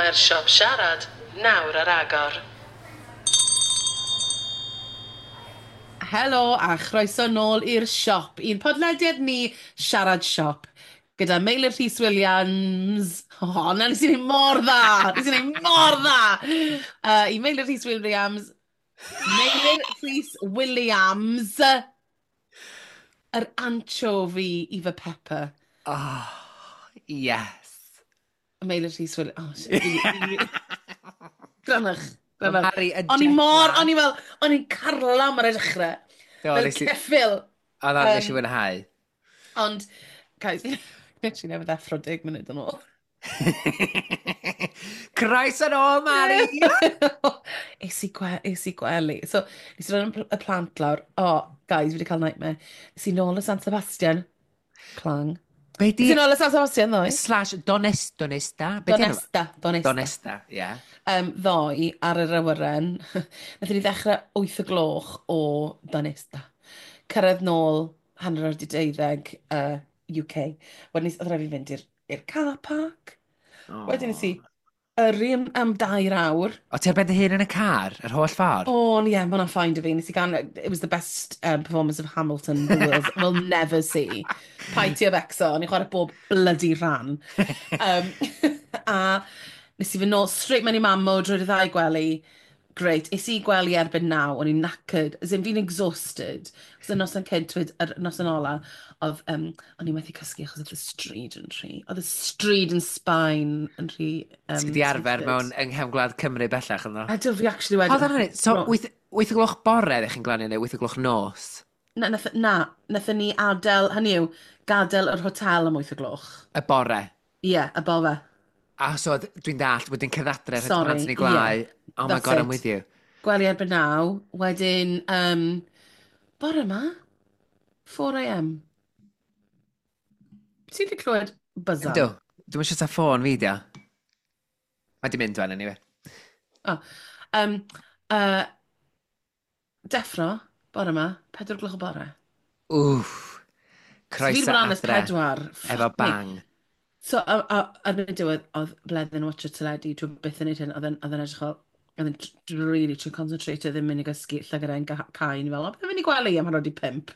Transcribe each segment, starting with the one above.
Mae'r siop siarad nawr ar agor. Helo a chroeso nôl i'r siop, i'n podlediad ni Siarad Siop, gyda Meilir Rhys Williams. O, na, nes i wneud mor dda! Nes i wneud mor dda! I Meilir Rhys Williams, Meilir Rhys Williams, yr anchovy i fy pepper. Oh, yes. Meilir Rhys Williams. Oh, shit. Grynwch. Grynwch. Mari yn O'n i jet mor, lag. o'n i fel, o'n i'n carlam ar y dechrau. Do, Fel nes i. ceffyl. Oedd o'n nes i fwynhau. Ond, guys, literally newydd ddeffro 10 munud yn ôl. Croeso nôl, Mari! Es i gwely. So, nes i roi'r y plant lawr. Oh, guys, fi wedi cael nightmare. Nes i nôl y San Sebastian. Clang. Be Nes di i nôl y San Sebastian ddoe. Slash Donesta? Be di enw? Donesta. Donesta. Donesta, ie. Yeah. Ddoe ar yr awyren. Nathon ni ddechrau 8 o gloch o Donesta. Cyrraedd nôl 12:30 UK. Wedyn oedd rhaid fi fynd i'r car park. Wedyn nes i yrru am 2 awr. O, ti ar ben dy hun yn y car, yr holl ffordd? Oh, yeah, mae hwnna'n fine 'da fi. Nes i gan, it was the best performance of Hamilton the world will never see. Paid ti â becso, o'n i'n chwarae bob bloody rhan. A nes i fynd nôl straight mewn i mam mode, roed y ddau gwely. Great. Es i gwely erbyn 9, o'n i'n knackered. As in, fi'n exhausted. Os y noson cynt, yr noson ola, oedd, o'n i'n methu cysgu achos oedd y stryd yn rhy. Oedd y stryd yn Sbaen yn rhy Ti di arfer twisted. mewn yng nghefn gwlad Cymru bellach ynddo? A do fi actually wedi. Hold on a minute, so 8 o gloch bore ddech chi'n glanio neu 8 o gloch nos? Na, nathon ni adael, hynny yw, gadael yr hotel am 8 o gloch. Y bore? Ie, yeah, y bore. A so dwi'n dallt, wedyn cyfadre rhaid Sorry, plant yn ei gwlau. Yeah. Oh my That's God, I'm it. with you. Gwely erbyn 9, wedyn, bore yma, 4 a.m. Ti wedi clywed buzzer? Yndw, dwi'n eisiau ta ffôn fi, dio. Mae di mynd wan, anyway. Oh, deffro, bore yma, 4 gloch o bore. Wff. So fi wedi Croeso bod lan ers adre. 4. Efo Fuck me. bang. So, a erbyn y diwedd, oedd Bleddyn yn watcho teledu, dwi'n byth yn neud hyn, oedd e'n edrych fel, oedd e'n really trio concentrate, ddim mynd i gysgu, llygad e'n cau, ni fel, o, beth yn mynd i gwely am 4:30.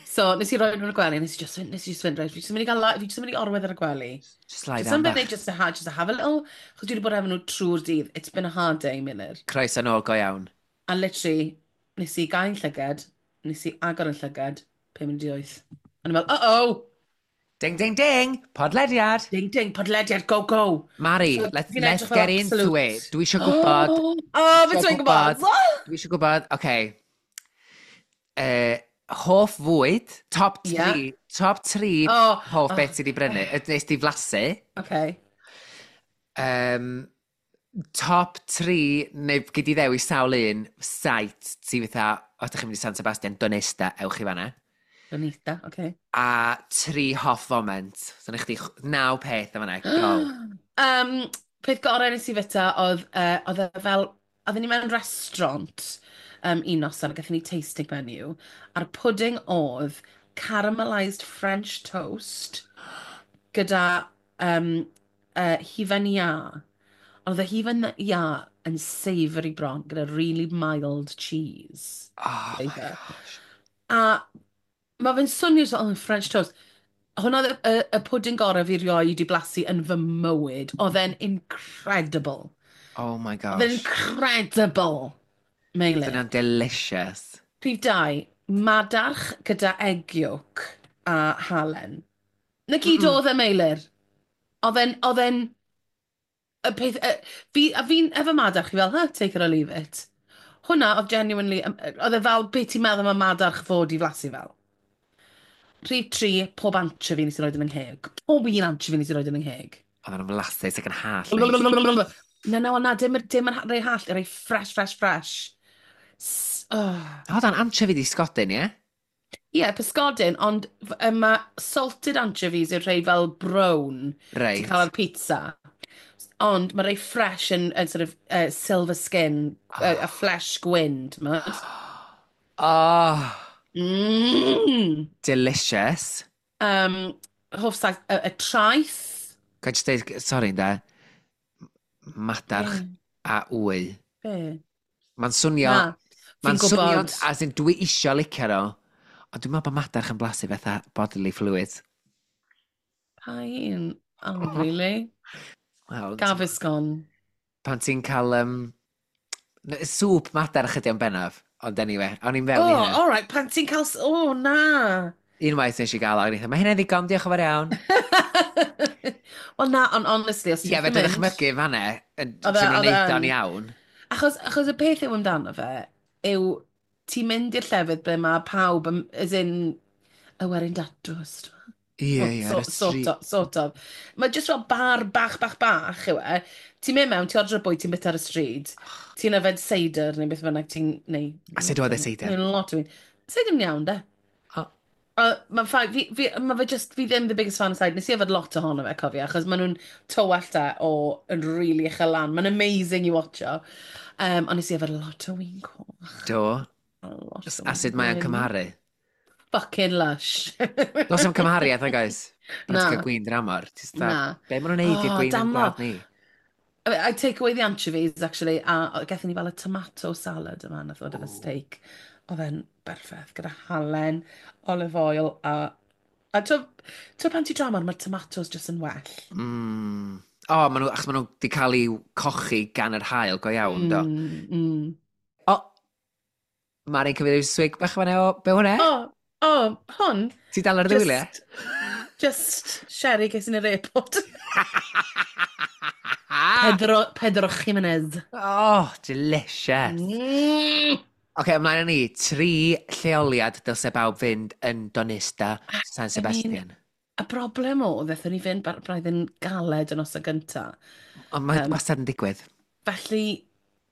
So, nes i roi nhw'n y gwely, nes i just fynd, right, fi just yn mynd i gael, fi just yn mynd i orwedd ar y gwely. Just lie Just down something bach. just to have a little, chos dwi wedi bod efo nhw trwy'r dydd. It's been a hard day, Meilir. Croeso nôl go iawn. A literally, nes i gau'n llygad, nes i agor yn llygad, 7:55. A ni'n fel, uh-oh! Ding, ding, ding! Podlediad! Ding, ding, podlediad, go, go! Mari, So, fi'n let's edrych fel get into absolute. it. Dwi eisiau gwybod. Oh, beth Isio ti'n gwybod? Dwi eisiau gwybod, oce. Okay. Hoff fwyd, top 3, top 3 hoff beth ti di brynu, nes di flasu. Okay. Top 3, neu gyd i ddewis sawl un, site ti fatha, os ydych chi'n mynd i San Sebastian, Donesta, ewch i fanna. Bonita, okay. A tri hoff foment. So, na chdi naw peth am fanna. Go. Peth gorau nes i fita oedd, oedd e fel, oedden ni mewn restaurant un noson, a gathon ni tasting menu, a'r pudding oedd caramelised French toast gyda hufen iâ. Ond oedd y hufen iâ yn savoury bron, gyda really mild cheese Oh my flavour. Gosh. A mae fe'n swnio so, oh, French toast. Hwna oedd y pwdin gorau fi rioed i blasu yn fy mywyd. Oedd e'n incredible. Oh my Oedd e'n gosh. incredible, Meilir. Dyna'n delicious. Rhif 2, madarch gyda egg yolk a halen. Na gyd oedd e, Meilir. Oedd e'n, y peth, a fi'n, efo madarch, fi fel, huh, take it or leave it. Hwna oedd genuinely, oedd e fel beth ti'n meddwl am y madarch fod i flasu fel. Rhif 3, pob anchovy nes i roed yn yng ngheg. Pob un anchovy nes i roed yn yng ngheg. Oedd yn flasus ac yn hallt. Neis. Na, na, na, dim yn rei hallt, rei fresh, fresh, fresh. Oh. Hold on, anchovy di sgodyn, ie? Ie, yeah, pysgodyn, ond mae salted anchovies yw'r rhai fel brown ti'n cael ar pizza. Ond mae rhai fresh yn sort of silver skin, a flesh gwyn, ti'n gwbod? Oh, delicious. Hoff saith, y traeth. Ga i just deud, sorry, ynde. Madarch a wy. Be? Mae'n swnio... Na, Mae'n fi'n swnio, gwybod. as in, dwi isio licio nhw, ond dwi'n meddwl bod madarch yn blasu fatha bodily fluids. Pa un? Oh, really? Wel, Gaviscon. pan ti'n cael sŵp madarch ydi o'n bennaf, ond anyway, o'n i'n fewn i Oh, hynna. all right, pan ti'n cael... Oh, na. Unwaith nes i gael, o'n i'n mae hynna'n ddigon, diolch yn fawr iawn. Wel, na, ond honestly, os Ie, ti'n fe mynd. dychmygu fan'na, yn Oedd ti'n oedd e neud o'n yn. iawn. Achos y peth yw amdano fe, yw ti'n mynd i'r llefydd ble mae pawb, yn, as in, y werin datws. Ie, ie, ar y Sort street. of, sort of. Mae jyst fel bar bach, bach, bach yw e. Ti'n mynd mewn, ti'n ordro bwyd, ti'n byta ar y stryd. Ti'n yfed seidr neu beth bynnag ti'n... Neu, A sut oedd y seidr? Neu lot o un. Seidr yn iawn, de. O. Mae'n fine, ma fe just, fi ddim the biggest fan of cider. Nes i yfed lot ohono fe, cofio, achos maen nhw'n tywallt e o yn really uchel lan. Mae'n amazing i watcho. Ond nes i yfed lot o win coch. Do. A lot o A sut mae o'n win. cymharu? Fucking lush. Does am cymhariaeth, nag oes? Pan Na. ti'n cael gwin dramor. Ti'n Na. Be maen nhw'n neud i'r Oh, gwin yn damo. gwlad ni? I take away the anchovies, actually, a gaethon ni fel y tomato salad yma, nath ddod efo steak. Oedd e'n berffaith, gyda halen, olive oil, a to pan ti dramor, mae'r tomatoes just yn well. O, maen nhw, achos maen nhw wedi cael eu cochi gan yr haul go iawn, do. O, Mari'n cymryd ryw swig bach fan'na o, be hwnna? O, hwn. Ti dal ar y wyliau? Just sherry ges i'n yr airport. Pedro Jimenez. Oh, delicious. Oce, ymlaen â ni. Tri lleoliad dylse bawb fynd yn Donista, San Sebastian. Y broblem oedd, aethon ni fynd braidd yn galed yn noson gynta. Ond mae wastad yn digwydd. Felly,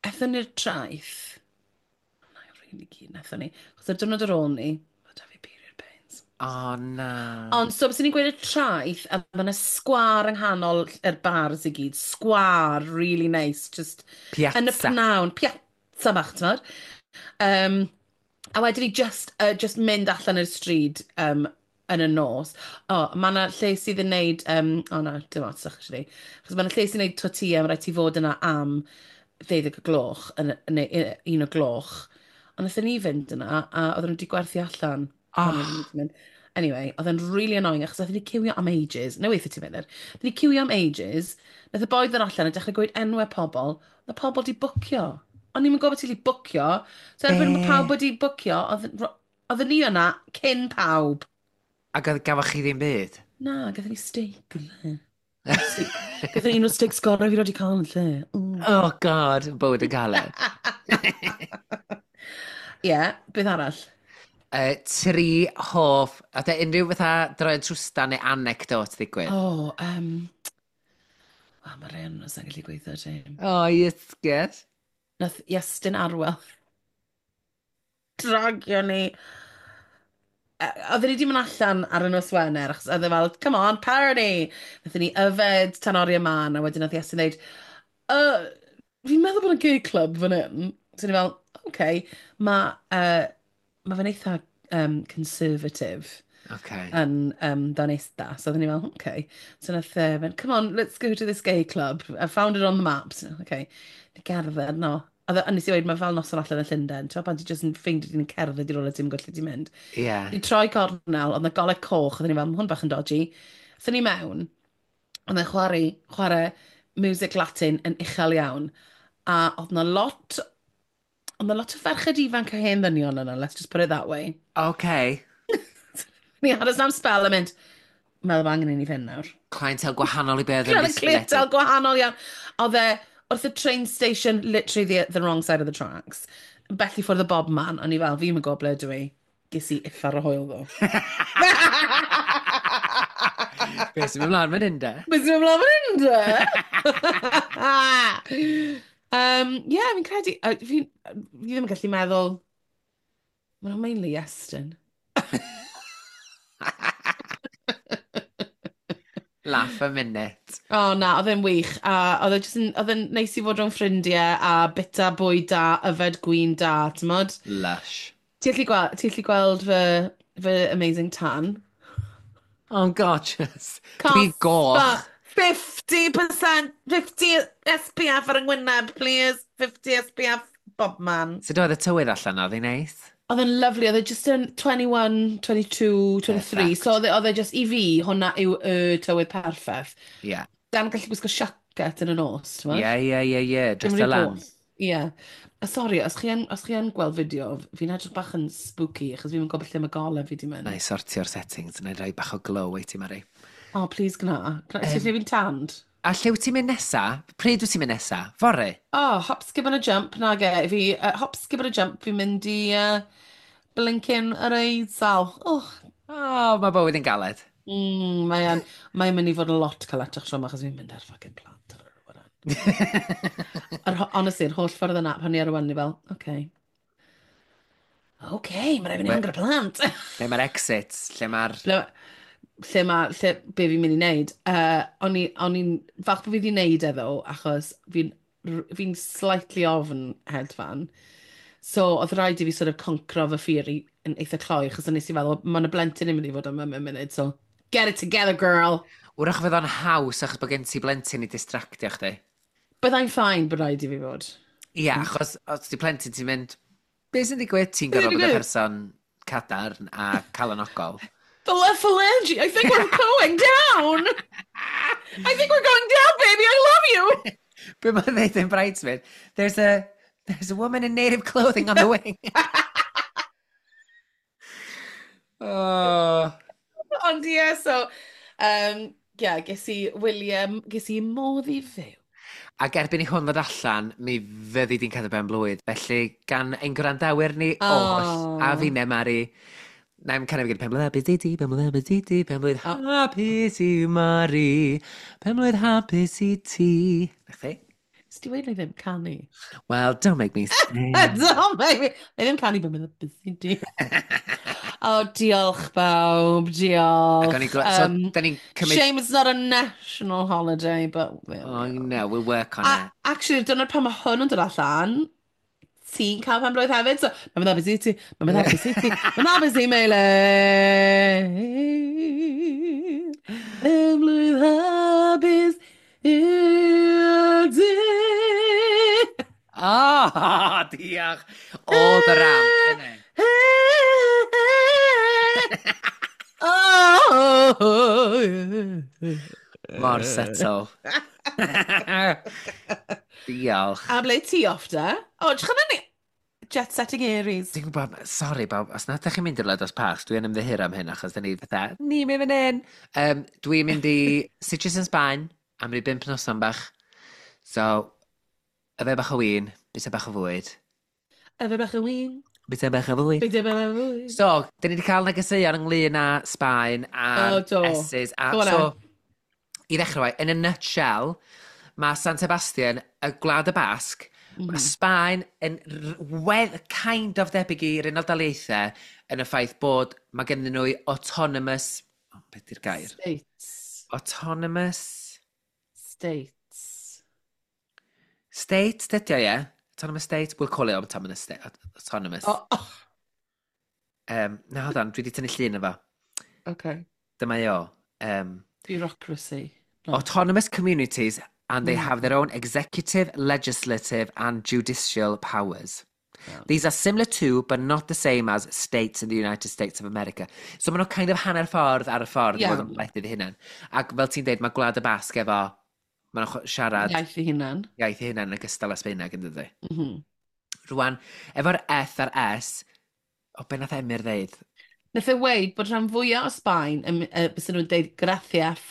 aethon ni'r traeth. Na, really keen aethon ni. Chos ar diwrnod ar ôl ni, oedd da fi period pains. O, na. Ond, so, bys ni'n gweud y traeth, a mae yna sgwâr yng nghanol yr bars i gyd. Sgwâr, really nice. Just Piazza. yn y pnawn. Piazza bach, ti'n meddwl? A wedyn ni just mynd allan i'r stryd yn y nos. O, mae yna lle sydd yn neud... O na, dim ots, actually. Achos mae yna lle sy'n neud tortilla, mae rhaid ti fod yna am 12 o gloch, neu 1 o gloch. Ond wnaethon ni fynd yna, a oedden nhw wedi gwerthu allan. Oh. Pan oedden ni 'di mynd. Anyway, oedd e'n really annoying, achos wnaethon ni ciwio am ages. No, weithio ti'n mynd. Wnaethon ni ciwio am ages. Nath y boi ddod allan a dechrau gweud enwau pobl. Oedd y pobl di bwcio. O'n i'n gwybod ti'n bwcio. So erbyn Be? bod pawb wedi bwcio, oedd ni yna cyn pawb. Ac oedd gafoch chi ddim byd? Na, gathon ni steak yn lle. Gathon ni un o'r steaks gorau fi wedi cael yn lle. Oh God, bywyd yn galed. Ie, yeah, beth arall? Tri hoff, a de unrhyw fatha droi'n trwstan neu anecdote ddigwydd? O, oh, mae rhain nhw sa'n gallu gweithio ti. Oh, yes, yes. Nath Iestyn Arwel dragio ni. Oedden ni wedi mynd allan ar y nos Wener, achos oedd e fel, come on, party! Nathon ni yfed tan oriau man, a wedyn nath Iestyn dweud, fi'n meddwl bod yn gay club fan hyn. So ni fel, okay, mae fe'n eitha conservative yn Donista. So oedden ni fel, okay. So nath e fynd, come on, let's go to this gay club. I found it on the maps. Okay. Ni gerdded, no. A nes i weud, mae fel noson allan yn Llundain. Ti'n pan ti jyst yn ffeindio ti'n cerdded i rywle ti'n gwybod lle ti'n mynd. Ni troi cornel, oedd 'na golau coch, oedden ni fel, ma' hwn bach yn dodgy. Aethon ni mewn, oedd e'n chwarae music Latin yn uchel iawn. A oedd 'na lot o ferched ifanc a hen ddynion yna, let's just put it that way. Ni aros am spell a mynd, meddwl bod angen i ni fynd nawr. Clientele gwahanol i beth yn disgwyl. Clientele gwahanol iawn. Oedd e wrth y train station, literally the wrong side of the tracks. Bell i ffwrdd o bob man, o'n i fel, fi'n gwybod ble dwi. Ges i uffar o hwyl ddo. Be sy'n mynd mlaen fan hyn de? Be sy'n mynd mlaen fan hyn de? Yeah, fi'n credu, fi ddim yn gallu meddwl, mae'n mainly Iestyn. Laugh a minute. O oh, na, oedd e'n wych. A oedd e jyst yn, oedd e'n neis i fod rhwng ffrindiau a bita bwyd da, yfed gwin da, t'mod? Lush. Ti'n gallu gweld fy amazing tan? Oh, gorgeous. Dwi'n goch. 50%, 50 SPF ar yng ngwyneb, please. 50 SPF, bob man. So doedd y tywydd allan oedd hi'n neis? Oedd e'n lovely, oedd e just yn 21, 22, 23. Perfect. So oedd e just, i fi, hwnna yw y tywydd perffaith. Ie. Yeah. Dan gallu gwisgo siacet yn y nos, ti'n Ie, ie, ie, ie. Dim Dress rhy y lan. boeth. Ie. A sori, os chi yn gweld fideo, fi'n edrych bach yn spooky, achos fi'n gwybod lle mae golau fi di mynd. Na i sortio'r settings, na i rhoi bach o glow i ti, Mari. Oh, please gna. Gna, um, lle fi'n tanned? A lle wyt ti'n mynd nesa? Pryd wyt ti'n mynd nesa? Fory? Oh, hop, skip and a jump, nage. Fi, hop, skip and a jump, fi'n mynd i blinking yr Eidal. Oh, Oh, mae bywyd yn galed. Mae'n mae mynd i fod yn lot caletach tro yma, achos fi'n mynd ar fucking plant ar yr awyren. Honestly, yr holl ffordd yna, pan ni ar y wan, ni fel, okay. Okay, mae'n rhaid fi wneud gyda plant. Lle mae'r exits, lle mae'r... Lle mae, lle, be fi'n mynd i wneud. O'n i'n falch bod fi wedi wneud e ddo, achos fi'n fi slightly ofn hedfan. So, oedd rhaid i fi sort of concro fy fear i yn eitha cloi, achos o'n nes i feddwl, mae'n y blentyn yn mynd i fod yma mewn munud, so get it together, girl! Wrach fydd o'n haws achos bod gen ti blentyn i distractio chdi. Byddai'n fine bod rhaid i fi fod. Ie, yeah, achos os di plentyn ti'n mynd, be sy'n digwydd? Ti'n Be sy'n gorfod bod y digwydd? person cadarn a calonogol. The left phalange, I think we're going down! I think we're going down, baby, I love you! Be mae'n dweud yn Bridesmaid? There's a woman in native clothing on the wing. Oh. Ond ie, yeah, so, yeah, ges i William, ges i modd i fyw. Ac erbyn i hwn ddod allan, mi fyddi di'n cadw ben blwydd. Felly, gan ein gwrandawyr ni oll, Oh. a fi ne, Mari, na i'm canu fi gyda pen blwydd hapus i ti, pen blwydd hapus i ti, pen blwydd hapus i Mari, pen blwydd hapus i ti. Na chdi? Nes ti weud na i ddim canu? Well, don't make me sing. Don't make me... Na i ddim canu ben blwydd hapus i ti. Oh, diolch bawb, diolch. Ac o'n i'n so, da ni'n cymryd... Shame it's not a national holiday, but... there we Oh, are. no, we'll work on A, it. actually, dyna pan mae hwn yn dod allan, ti'n cael pen blwydd hefyd, so mae'n mynd hapus i ti, mae'n mynd hapus i ti, mae'n hapus i Meilir. Pen blwydd hapus i ti. Oh, diolch. All the ramp, innit? Oh, yeah. Mor settle. Diolch. A ble ti off da? O, edrych arna ni. Jet setting Aries. Dwi'n gwybod, sori bawb, os na ydych chi'n mynd i'r Ledos Parks, dwi'n ymddiheuro am hyn achos dyn ni fatha, ni'n mynd fan hyn. Dwi'n mynd i Sitges yn Sbaen am ryw 5 noson bach. So, yfed bach o win, bita bach o fwyd. Yfed bach o win. Bita bach o fwyd. Bita bach o fwyd. So, dyn ni wedi cael negeseuon ynglyn â Sbaen a'r O, do. S's. A, Go on so, then. i ddechrau, fo, in a nutshell, mae San Sebastian, y Gwlad y Basg, mae Sbaen yn wedd kind of debyg i'r Unol Daleithiau yn y ffaith bod mae gennym nhw autonomous... Oh, beth di'r gair? States. Autonomous... States. State, dydy o, ie? Autonomous state? We'll call it autonomous state. Autonomous. Oh, oh. Na, hold on, dwi wedi tynnu llun efo. Okay. Dyma i o. Bureaucracy. No. Autonomous communities and they have their own executive, legislative and judicial powers. Yeah. These are similar to, but not the same as, states in the United States of America. So maen nhw kind of hanner ffordd ar y ffordd i Yeah. fod yn wledydd eu hunain. Ac fel ti'n deud, mae Gwlad y Basg efo, maen nhw'n siarad Iaith ei hunan. iaith eu hunain yn ogystal â Sbaeneg yn dydy. Rwan, efo'r F a'r S, o be nath Emyr ddeud? Nath e weud bod rhan fwyaf o Sbaen, yn, bysen nhw'n deud gracias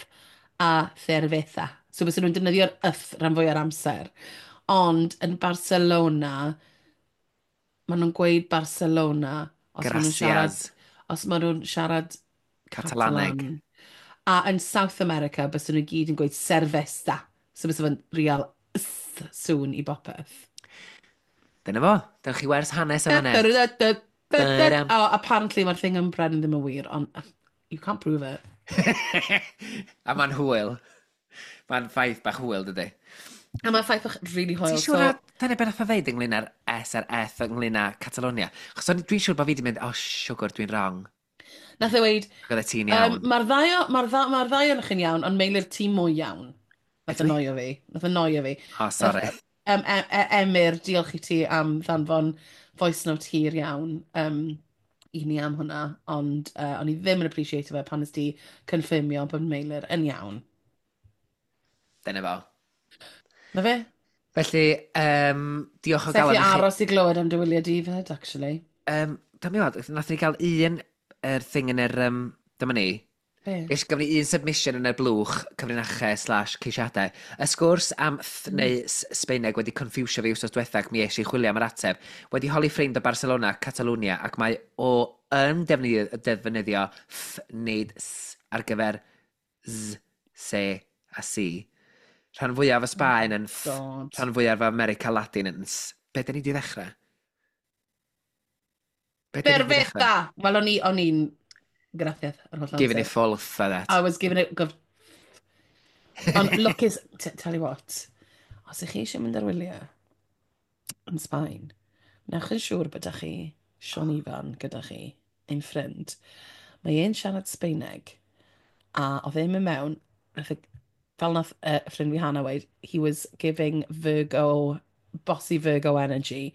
a cerveza. So bysen nhw'n defnyddio'r yth rhan fwyaf o'r amser. Ond yn Barcelona, maen nhw'n gweud Barcelona os maen nhw'n siarad, Gracias. os maen nhw'n siarad Catalaneg. Catalan. A yn South America, bysen nhw gyd yn gweud cerveza. So bysen nhw'n real th sŵn i bopeth. Dyna fo. Dyna chi wers hanes am hynny. Ba-dam. Oh, apparently mae'r thing yn Brennan ddim yn wir, ond you can't prove it. A mae'n hwyl. Mae'n ffaith bach hwyl, dydy. A mae'n ffaith bach really hwyl. Ti'n siŵr na, dyna beth nath o ddeud ynglyn â'r S a'r F ynglyn â Catalonia? Achos dwi'n siŵr bod fi wedi mynd, oh, siwgr, dwi'n wrong. Nath e weud, Ac oedd e ti'n iawn. mae'r ddau, mae'r ddau, mae'r ddau ohonoch chi'n iawn, ond Meilir ti mwy iawn. Nath Ydw i? annoio fi. Nath annoio fi. Oh, sorry. Emyr, diolch i ti am ddanfon voice note hir iawn i ni am hwnna, ond o'n i ddim yn appreciate fe pan nes ti confirmio bod Meilir yn iawn. Dyna fo. Na fe? Felly, diolch o Sa'i galon chi i chi. aros i glywed am dy wyliau di fyd, actually. Dyma mi weld, nath ni gael un thing yn yr... dyma ni. Be? Ges gafon ni un submission yn y blwch cyfrinachau/ceisiadau. Y sgwrs am th neu Sbeineg wedi confusio fi wsos diwetha ac mi es i chwilio am yr ateb. Wedi holi ffrind o Barcelona, Catalunya, ac mae o yn defnyddio th nid s ar gyfer z, c a c. Rhan fwyaf o Sbaen yn th, God. rhan fwyaf o America Latin yn s. Be dyn ni di ddechrau? Be dyn ni 'di ddechrau? Perfecta! Wel, o'n i'n gracias yr holl Giving it amser. full for that. I was giving it... Ond lwcus, tell you what, os ych chi eisiau mynd ar wyliau yn Sbaen, newch yn siŵr bod chi Sean Ifan gyda chi, ein ffrind. Mae e'n siarad Sbeineg, a oedd e'n mynd mewn, fel nath ffrind fi Hannah weud, he was giving Virgo, bossy Virgo energy,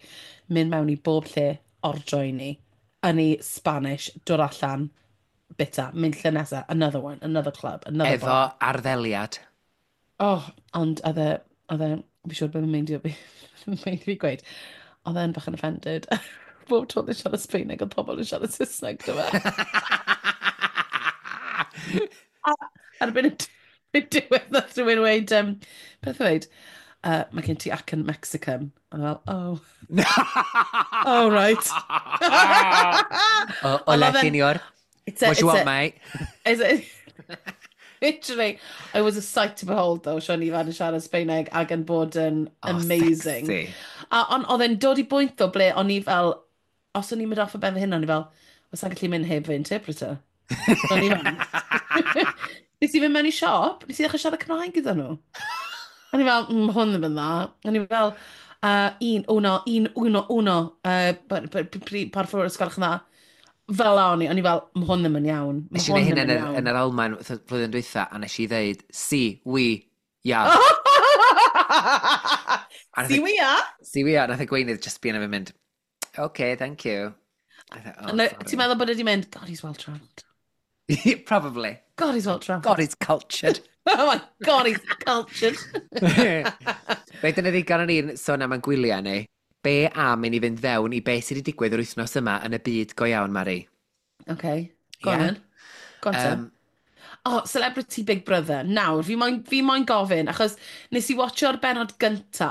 mynd mewn i bob lle, ordro i ni, yn ei Spanish, dod allan, bita, mynd lle nesa, another one, another club, another Efo bar. arddeliad. Oh, ond oedd e, fi siŵr bod yn meindio fi, meindio fi gweud, oedd e'n bach yn offended. Bob tro oedd e'n siarad Sbeineg, oedd pobl yn siarad Saesneg, dyma. A erbyn y diwedd, nath rhywun weud, beth oedd weud? Mae gen ti acen Mexican. A fel, oh. Oh, right. O, hola, Ond oedd e'n- senor. It's a, What you it's want, a, mate? it's a, literally, it was a sight to behold, though, Sean Ifan yn siarad Sbeineg ac yn bod yn Oh, amazing. sexy. A on, oedd e'n dod i bwynt ddo ble o'n i fel, os o'n i'n mynd off o ben fy hunan, o'n i fel, os sa'n gallu mynd heb fy interpreter. O'n i fel. Nes i fynd mewn i siop, nes i ddechrau siarad Cymraeg gyda nhw. O'n i fel, hwn ddim yn dda. O'n i fel, un, uno, un, uno, uno, por favor, os gwelwch yn dda. Fel la o'n i fel, hwn ddim yn iawn. Ma' Nes i wneud hwn hyn ddim yn yn yr, iawn. yn yr Almaen flwyddyn dwytha, a nes i ddeud, si, oui, ja. A nath Si y- we are. Si, oui, ja. Nath y gweinydd just be yna fi'n mynd, okay, thank you. I thought, oh, No, sorry. ti'n meddwl bod wedi mynd, God, he's well travelled. Probably. God, he's well travelled. God, he's cultured. Oh my God, he's cultured. Be dyna ddigon o'n i'n sôn am ein gwyliau ni. Be am i ni fynd fewn i be sydd wedi digwydd yr wythnos yma yn y byd go iawn, Mari? Okay, go on Yeah. then. Go on then. Oh, Celebrity Big Brother. Nawr, fi moyn gofyn, achos nes i watcho'r benod gynta,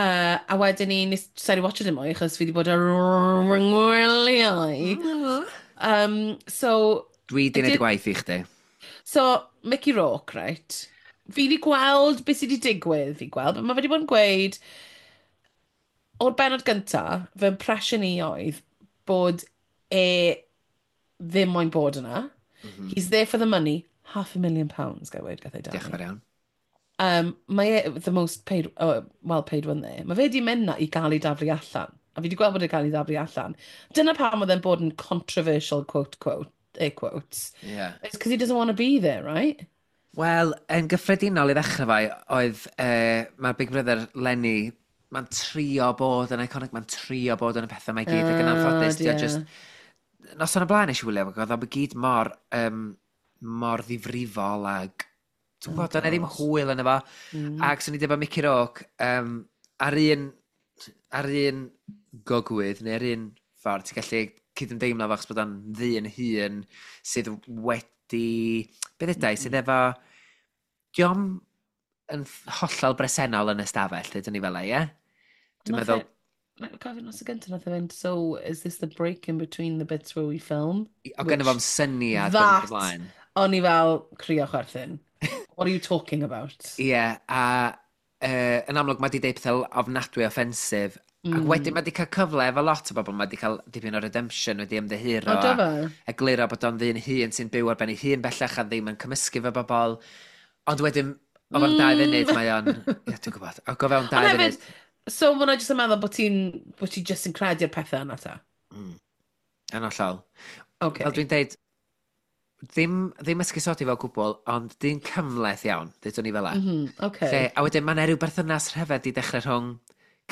a wedyn ni, nes i watcho dim mwy, achos fi wedi bod ar ngwyliau. So, Dwi di wneud y gwaith i chdi. So, Mickey Rourke, right? Fi wedi gweld beth sydd wedi digwydd, fi gweld, but mae fe wedi bod yn gweud, o'r benod gynta, fy impression i oedd bod e ddim moyn bod yna. He's there for the money. £500,000, gael weud, gath ei Diolch yn dalu. fawr iawn. Mae e the most paid, oh, well paid one there. Mae fe wedi mynd na i gael ei daflu allan. A fi wedi gweld bod e'n cael ei daflu allan. Dyna pam oedd e'n bod yn controversial, quote, quote, air quotes. Yeah. It's because he doesn't want to be there, right? Wel, yn gyffredinol i ddechrau fai, oedd mae Big Brother Lenny, mae'n trio bod yn iconic, mae'n trio bod yn y pethau mae gyd, ac yn anffodus, di o just... Noson o blaen nes i wylio, ac oedd o gyd mor ddifrifol ag... Dwi'n gwybod, oh, ddim hwyl yn efo. Ac swn i dweud bod Mickey Rourke, ar un gogwydd, neu ar un ffordd, ti'n gallu cydymdeimlo fo, achos bod o'n ddyn hun sydd wedi... Beth ydau, sydd efo... Dio'm yn hollol bresennol yn y stafell, dydyn ni fel 'na, ie? Dwi'n meddwl, Mae'n gofyn nos y gyntaf nath e fynd, so is this the break in between the bits where we film? O gynno fo'm syniad yn That, ymlaen. o'n i fel crio chwerthin. What are you talking about? Ie, a yn amlwg mae di deud pethau ofnadwy offensif. Ac wedyn mae di cael cyfle efo lot o bobl, mae di cael dipyn o redemption wedi ymddiheuro. O, do a fe? Egluro bod o'n ddyn hun sy'n byw ar ben ei hun bellach a ddim yn cymysgu efo bobl. Ond wedyn, o fewn 2 funud mae o'n... Ie, dwi'n gwybod. O go fewn dau Ond funud. hefyd, so mae hwnna jyst yn meddwl bod ti just yn credu'r pethau yna ta? Yn hollol. Okay. Fel dwi'n deud, Ddim, ddim esgusodi fel gwbl, ond dyn cymhleth iawn, dydyn ni fel la. Okay. Lle, a wedyn mae yna rhyw berthynas rhyfedd di dechrau rhwng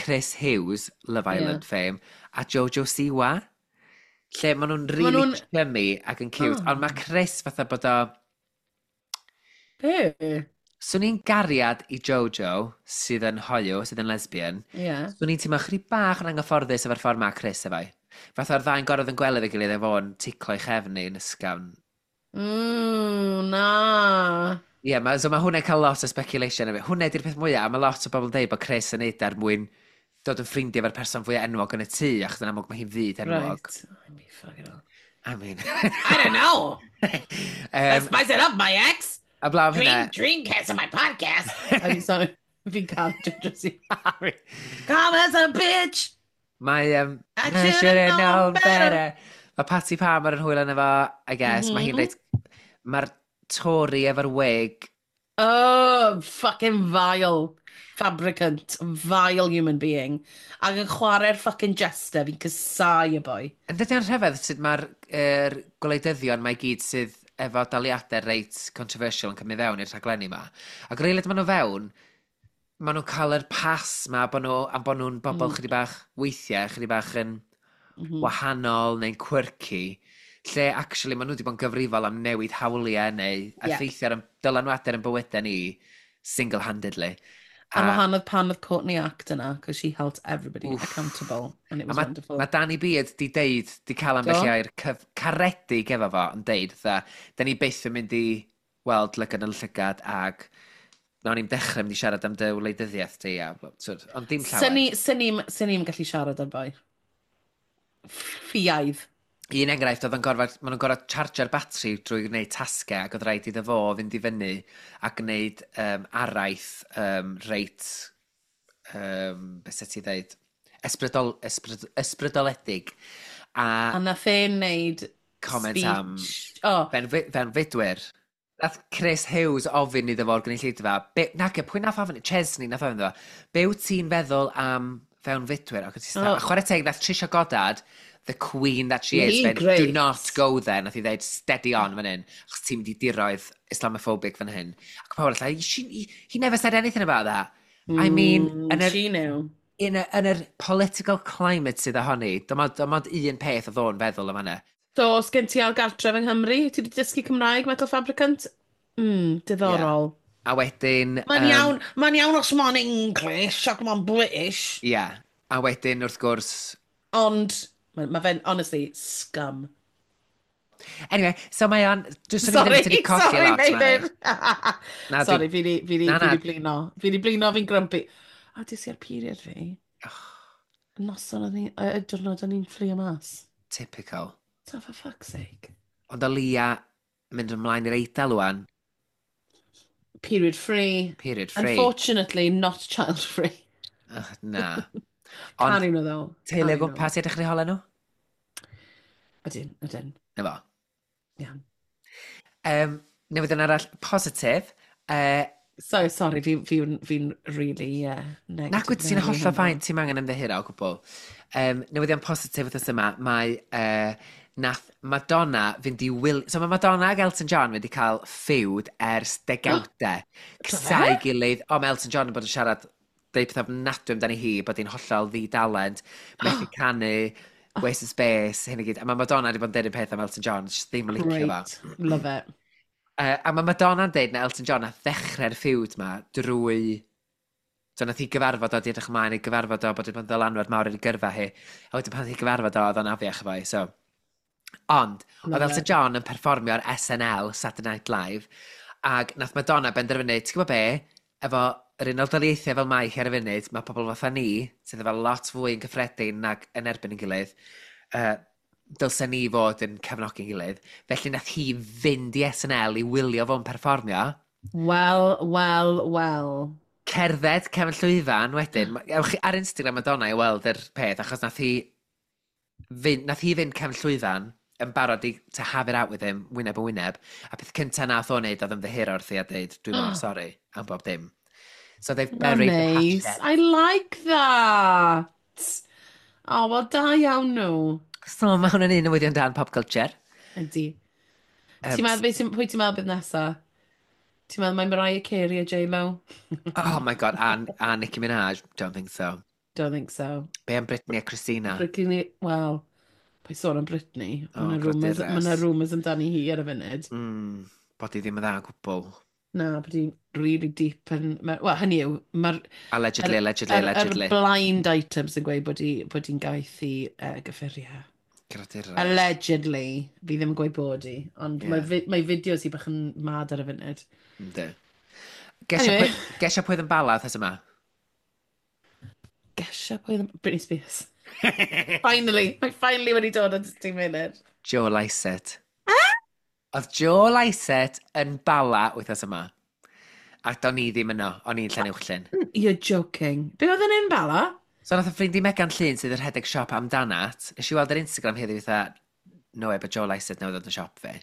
Chris Hughes, Love Island fame, a Jojo Siwa. Lle maen nhw'n Ma' really nhw'n- chummy ac yn cute, Oh. ond mae Chris fatha bod o. Be? Swn i'n gariad i Jojo, sydd yn hoyw, sydd yn lesbian. Swn i'n teimlo chydig bach yn anghyfforddus efo'r ffordd mae Chris efo. Fatha'r ddau'n gorfod yn gweld efo'i gilydd efo fo'n ticlo ei chefn yn ysgafn. Na. Ie, yeah, so mae hwnna'n cael lot o speculation efo. Hwnna di'r peth mwyaf, a mae lot o bobl yn dweud bod Chris yn neud er mwyn dod yn ffrindiau efo'r person fwyaf enwog yn y tŷ, achos yn amlwg mae hi'n fyd enwog. Right. I mean, fucking hell. I mean. I don't know. Spice it up, my ex. A blaw hynna. Dreamcast on my podcast. I mean, sorry. Fi'n cael Jojo Siwa. Come as a bitch. Mae. I I should've should've known known better. better. Mae Patty Palmer yn hwyl yna fo, I guess. Mae hi'n reit. Mae'r Tory efo'r wig. Oh, fucking vile fabricant. Vile human being. Ac yn chwarae'r fucking jester, fi'n casáu y boi. Yn dydy o'n rhyfedd sut mae'r er, gwleidyddion mae gyd sydd efo daliadau reit controversial yn cymryd fewn i'r rhaglenni yma. Ac rili maen nhw fewn, maen nhw'n cael yr pass ma bod nhw, am bod nhw'n bobl chydig bach weithiau, chydig bach yn wahanol neu'n quirky, lle actually maen nhw wedi bod yn gyfrifol am newid hawliau neu effeithio ar dylanwadau yn bywydau ni single-handedly. Ar wahanol pan oedd Courtney Act yna, because she held everybody accountable, and it A was mae wonderful. ma Danny Beard di deud, di cael ambell Do. i air caredig efo fo, yn deud, fatha, da ni byth yn mynd i weld lygad yn llygad ag nawn ni'n dechrau mynd i siarad am dy wleidyddiaeth ti, a, sort, ond dim llawer. Sy'n ni'n gallu siarad ar boi. Ffiaidd. Un enghraifft oedd yn gorfod, maen nhw'n gorfod chargio'r batri drwy gwneud tasgau ac oedd rhaid iddo fo fynd i fyny a gwneud araith reit, beth ti ddeud, ysbrydoledig. A A nath e wneud comment speech. am Oh, ben fudwyr. Nath Chris Hughes ofyn iddo fo'r gynulleidfa, nage, pwy nath ofyn, Chesney nath ofyn iddo fo, be wyt ti'n feddwl am fewnfudwyr? Ac, oh. Oh. A chwarae teg, nath Trisha Goddard, the queen that she is, Hi fynd, "Do great. not go there," nath i ddeud, "Steady on fan hyn, achos ti'n mynd i diroedd Islamophobic fan hyn." Ac pawb arall, he never said anything about that. I mean, yn yr, She knew. yn yr political climate sydd ohoni, dim ond un peth oedd o'n feddwl am hynny. So, os gen ti al gartref yng Nghymru, ti wedi dysgu Cymraeg, Metal Fabricant? Diddorol. A wedyn. Mae'n iawn, mae'n iawn os mae'n English ac mae'n British. Ie. Yeah. A wedyn, wrth gwrs. Ond, mae ma fe'n, honestly, scum. Anyway, so mae o'n. Dwi'n swn i Sorry, ddim wedi colli sorry, lot, Meilir. Na, Sorry, fi di, fi di, Na, fi na. di blino. Fi di blino, fi'n grumpy. A dis i ar period fi. Noson oedd ni, y diwrnod o'n i'n fflio mas. Typical. So, for fuck's sake. Ond o leia mynd ymlaen i'r Eidal wan, Period free. Period free. Unfortunately, not child free. Ugh, na. Can Ond nhw ddo. teulu o gwmpas i edrych ar eu holau nhw? Ydyn, ydyn. Na fo. Iawn. Newyddion arall positif. So, sorry, fi really, yeah, negative. Nac wyt ti'n Mary hollol heno. fine, ti'n angen ymddiheuro o gwbl. Newyddion positif wythnos yma, mae nath Madonna fynd i wil. So mae Madonna ag Elton John wedi cael feud ers degawdau. Cysau gilydd. O, mae Elton John yn bod yn siarad, deud pethau ofnadwy amdani hi, bod hi'n hollol ddi-dalent, methu canu, waste of space, hyn i gyd. A mae Madonna wedi bod yn deud y peth am Elton John, just ddim yn licio fo. Great. Love it. A mae Madonna'n deud na Elton John nath ddechrau'r feud ma drwy. So nath hi gyfarfod o, di edrych ymlaen i gyfarfod o, bod wedi bod yn ddylanwad mawr ar ei gyrfa hi. A wedyn pan nath hi gyfarfod o, oedd o'n afiach efo hi, so. Ond, oedd Love Elton it. John yn perfformio ar SNL, Saturday Night Live, ac nath Madonna benderfynu, ti'n gwybod be, efo yr Unol Daleithiau fel mae hi ar y funud, mae pobl fatha ni, sydd efo lot fwy yn gyffredin nag yn erbyn yn gilydd, dylsen ni fod yn cefnogi'n gilydd. Felly nath hi fynd i SNL i wylio fo'n perfformio. Well, well, well. Cerdded cefn llwyfan wedyn. Ewch chi ar Instagram Madonna i weld yr peth, achos nath hi fynd cefn llwyfan yn barod i to have it out with him, wyneb yn wyneb. A peth cyntaf nath o wneud oedd ymddiheuro wrthi a dweud, "Dwi'n mor sori am bob dim." So they've buried the Nice. hatchet. I like that. Oh, well, da iawn nhw. So mae hwn yn un newyddion dan pop culture. Ydy. Ti'n meddwl, pwy ti'n meddwl bydd nesa? Ti'n meddwl mae Mariah Carey a J-Lo? Oh my God, a Nicki Minaj? Don't think so. Don't think so. Be am Britney a Christina? Britney, well, paid sôn am Britney. Oh, Mae yna gradures. Ma rumours amdani hi ar y funud. Bod hi ddim yn dda o gwbl. Na, bod hi'n really deep yn. Wel, hynny yw, mae'r Allegedly, allegedly, allegedly. Yr blind items yn gweud bod hi'n gaeth i gyffuriau. Gradures. Allegedly, fi ddim yn gweud bod hi, ond mae fideos hi bach yn mad ar y funud. Yndi. Gesio Anyway. Gesio pwy oedd yn Bala wythnos yma? Gesio pwy oedd Britney Spears. Finally, mae finally wedi dod at ti'n munud. Joe Lycett. Oedd Joe Lycett yn Bala wythnos yma. A do'n i ddim yno, o'n i'n Llanuwchllyn. You're joking. Be oedd yn un Bala? So nath y ffrind i Megan Llun sydd yn rhedeg siop Amdanat, nes i weld ar Instagram heddiw fatha, "No way, but Joe Lycett newydd ddod yn siop fi."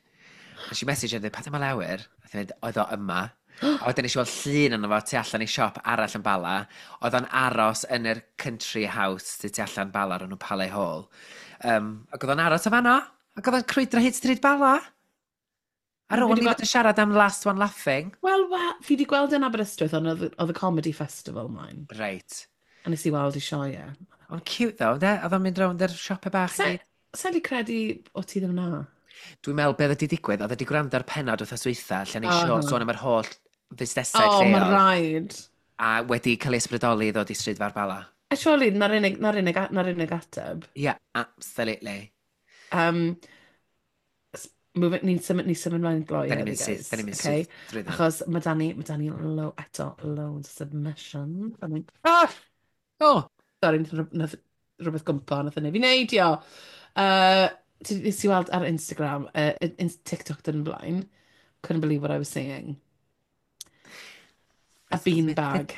Nes i message yn dweud, "Pa dyma lawer?" A dweud, oedd o yma. A wedyn nes i weld llun yno fo tu allan i siop arall yn Bala. Oedd o'n aros yn yr country house sydd tu allan Bala o'r enw Palais Hall. Ac oedd o'n aros o fanno. Ac oedd o'n crwydro hyd stryd Bala. Ar Fi ôl 'di ni fod yn siarad am Last One Laughing. Wel, fi wedi gweld yn Aberystwyth, ond oedd y comedy festival mlaen. Reit. A nes i weld i sioe. Ond cute though, de? Oedd o'n mynd rownd yr siopau bach i gyd. Sa'n di credu o ti ddim na? Dwi'n meddwl beth wedi digwydd, oedd wedi gwrando ar penod wythnos dwytha, lle ni sôn am yr holl fusnesau Oh, mae lleol, rhaid. a wedi cael ei ysbrydoli i ddod i stryd fawr Bala. A surely, na'r unig ateb. Yeah, absolutely. Ni'n symud mlaen gloi Da ni'n heddi, mynd syth, guys. da ni'n mynd Okay? syth drwy Achos mae da ni eto, loads of submissions. I mean, ah! Oh! Sorry, nath rhywbeth gwmpa, nath yna fi neidio. Nes i weld ar Instagram, in TikTok dyn blaen, couldn't believe what I was seeing. A beanbag,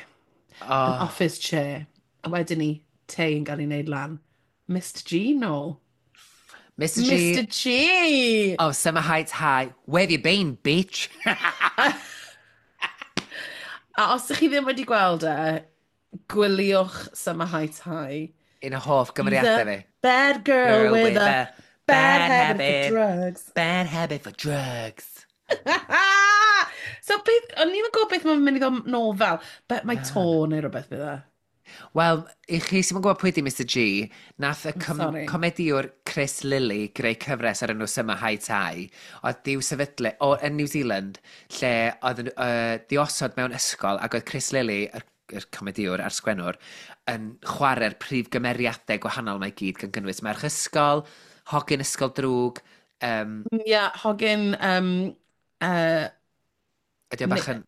an office chair, a wedyn ni, te yn cael ei wneud lan. Mr G nôl. Mr G. Mr G! Oh, Summer Heights High. Where have you been, bitch? A os ydych chi ddim wedi gweld e, gwyliwch Summer Heights High. Un o hoff gymeriadau fi. Bad girl with a bad habit for drugs. Bad habit for drugs. So, beth, o'n i'n gwybod beth mae'n mynd i ddod nôl fel, but mae to neu rhywbeth bydd e. Wel, i chi sy'n gwybod pwy di Mr G, nath y Sorry. comediwr Chris Lilley greu cyfres ar enw Summer Heights High, oedd di'w sefydlu o, yn New Zealand, lle oedd yn di osod mewn ysgol, ac oedd Chris Lilley, yr comediwr a'r sgwennwr, yn chwarae'r prif gymeriadau gwahanol mae gyd, gan gynnwys merch ysgol, hogyn ysgol drwg, Ie, yeah, hogyn, ydy o bach yn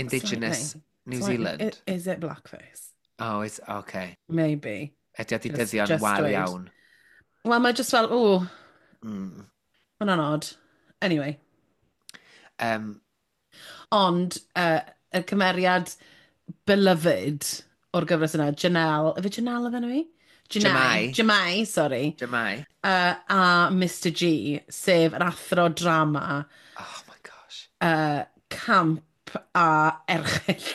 Indigenous slightly. New Slightly. Zealand? Is it blackface? Oh, it's okay. Maybe. Ydy o di Just dyddio'n wael dweud. iawn. Wel, mae just fel, o, hwnna'n odd. Anyway, ond y cymeriad beloved o'r gyfres yna, Janelle, yfe Janelle oedd enw hi? Jamai. Janai. Jamai, sorry. Jamai. A Mr G, sef yr athro drama, Oh my gosh. Camp a erchyll.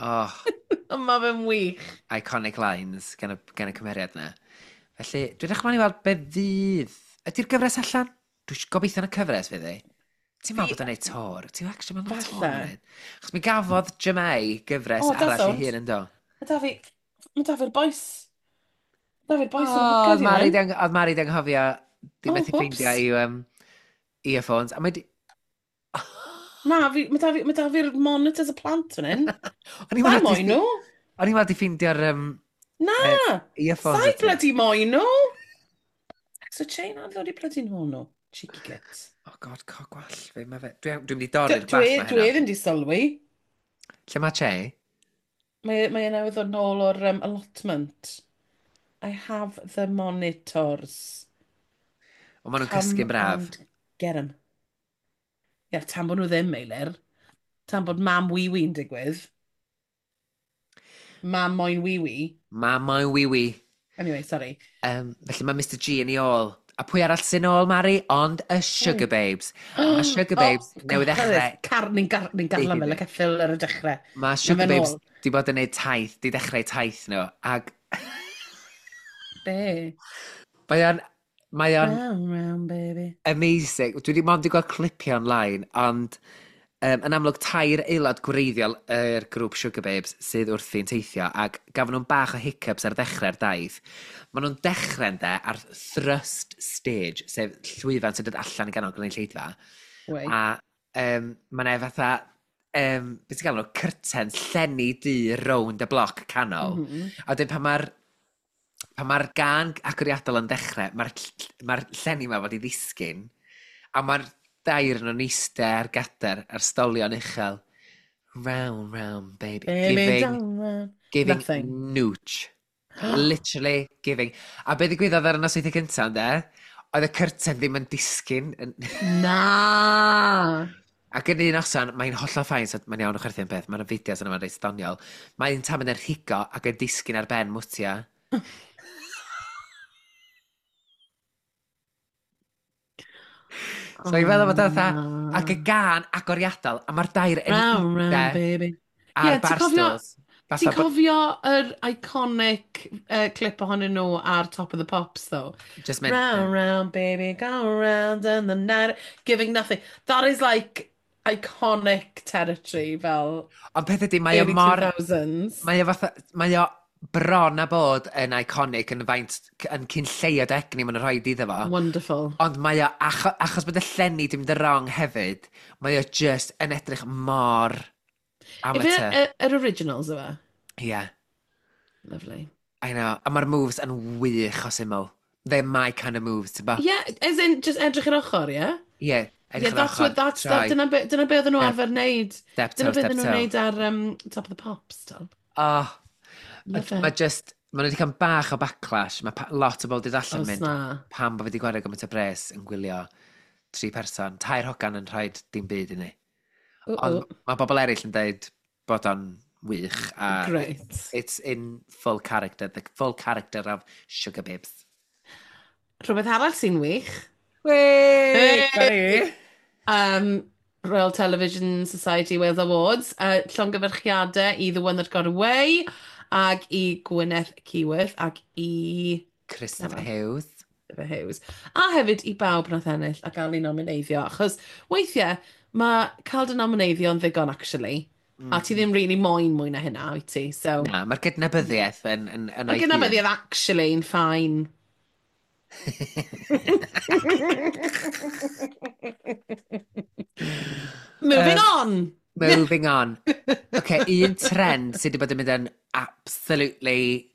Oh, Ond mae fe'n wych. Iconic lines gan y cymeriad yna. Felly, dwi'n edrych ymlaen i weld be fydd. Ydy'r gyfres allan? Dwi'n gobeithio yn y cyfres fydd hi. Ti'n meddwl bod o'n neud tor? Ti'n actually meddwl bod Falle. tor yn neud? Achos mi gafodd Jamai gyfres O, arall ei doesn't. hun yn do. Mae da fi'r boys. Mae da fi'r boys O, yn y oedd bwced i Mari hyn. oedd Mari di anghofio di Oh, methu whoops. ffeindio i'w earphones. A mae di Na, mae da fi'r monitors y plant fan hyn. O'n i'n Sa'i meddwl moyn nhw. O'n i'n meddwl di ffeindio'r Na! earphones. Sa'i y ti. bloody moyn nhw. So Chain a ddod i bloody nhw nhw. Cheeky gits. Oh God, co gwall fi. Mae fe. Dwi'n mynd i dorri'r Dwi, gwallt ma dwi heno. ddim di sylwi. Lle mae Che? Mae e newydd ddod nôl o'r allotment. I have the monitors. O, maen nhw'n Come cysgu'n braf. and get 'em. Ie, tan bod nhw ddim, Meilir. Tan bod mam wee-wee'n digwydd. Mam moyn wee-wee. Mam moyn wee-wee. Anyway, sorry. Felly mae Mr G yn ei ôl. A pwy arall sy'n ôl, Mari? Ond y Sugar Babes. A mae Sugar Babes Oh, newydd ddechrau. Car, ni'n garlam fel y ceffyl ar y dechrau. Mae Sugar fe'n Babes ôl. di bod yn neud taith, di dechrau taith nhw. Ac Be? mae o'n. Mae o'n Round, round, baby. Amazing. Dwi wedi mond i gweld clipiau online, ond yn amlwg tair aelod gwreiddiol yr grŵp Sugababes sydd wrthi'n teithio, ac gafon nhw'n bach o hiccups ar ddechrau'r daith. Maen nhw'n dechrau'n de ar thrust stage, sef llwyfan sy'n dod allan i ganol gynulleidfa. Wait. A mae 'na fatha, beth ti'n galw nhw, curtains, llenni du rownd y bloc canol. A wedyn pan mae'r gân agoriadol yn dechrau, mae'r ma llenni yma fod i ddisgyn, a mae'r dair yn nhw'n eistedd ar gader ar stolion uchel. Round, round, baby. Baby, giving, down, round. Giving Nothing. Nooch. Literally giving. A be ddigwyddodd ar y nosweithiau cyntaf, ynde? Oedd y curtain ddim yn disgyn. Na! Ac yn un noson, mae'n hollol fine, so mae'n iawn o chwerthin peth, mae'n fideos yna, mae'n reit doniol. Mae'n tam yn rhigo ac yn disgyn ar ben Mutya. So i feddwl bod o fatha, ac y gân agoriadol, a mae'r dair yn Round, round, iste baby. ar Ie, ti'n cofio- barstools. Ti'n Fatha bod- cofio yr iconic clip ohonyn nhw ar Top of the Pops, though? Just meant. Round, round, baby, go round and the night, giving nothing. That is like iconic territory, fel Ond peth ydy, mae o early mor 2000s. Mae o fatha, mae o bron a bod yn iconic yn faint, yn cyn lleiad egni maen nhw'n rhoi iddo fo. Wonderful. Ond mae o, achos bod y llenni di mynd yn wrong hefyd, mae o just yn edrych mor Ife amateur. yr originals yma? Yeah, Lovely. I know. A mae'r moves yn wych o syml. They're my kind of moves, ti'n bo? Yeah, as in, just edrych yr ochr, yeah? Yeah, edrych Yeah, yr that's ochr, what, that's, troi, that, dyna be oedden nhw arfer wneud. Step Dyna toe, be step oedden nhw'n toe. wneud ar Top of the Pops, tal. Oh, Love it. mae just, maen nhw wedi cael bach o backlash. Mae lot o bobl wedi allan Os mynd, na. Pam bod fi wedi gwario gymaint o bres yn gwylio tri person, tair hogan yn rhoi dim byd i ni. Ooh, Ond ooh. mae bobl eraill yn dweud bod o'n wych. A Great. it's in full character, the full character of Sugababes. Rhywbeth arall sy'n wych. Wei! Hey! Royal Television Society Wales Awards. Llongyfarchiadau i The One That Got Away ag i Gwyneth Keyworth ac i Christopher Dyma. Hughes. Christopher Hughes. A hefyd i bawb nath ennill a gael ei nomineiddio. Achos weithiau mae cael dy nomineiddio yn ddigon, actually. A ti ddim really moyn mwy na hynna, wyt ti? So, Na, mae'r gydnabyddiaeth yn mae o'i hun. gydnabyddiaeth actually yn fine. Moving on! Moving on. OK, un trend sydd wedi bod yn mynd yn absolutely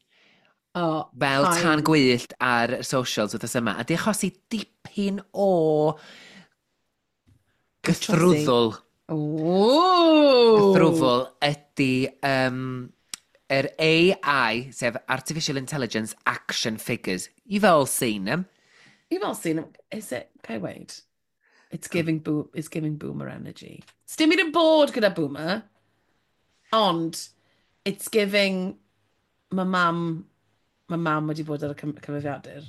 Oh, fel fine. tan gwyllt ar socials wythnos yma, a di achosi dipyn o gythrwddwl. Ooh. Gythrwfl ydy yr AI, sef Artificial Intelligence Action Figures. You've all seen them. You've all seen them. Is it? Okay, wait. It's giving boomer energy. Sdim byd yn bod gyda boomer, ond it's giving mae mam wedi bod ar y cyfrifiadur.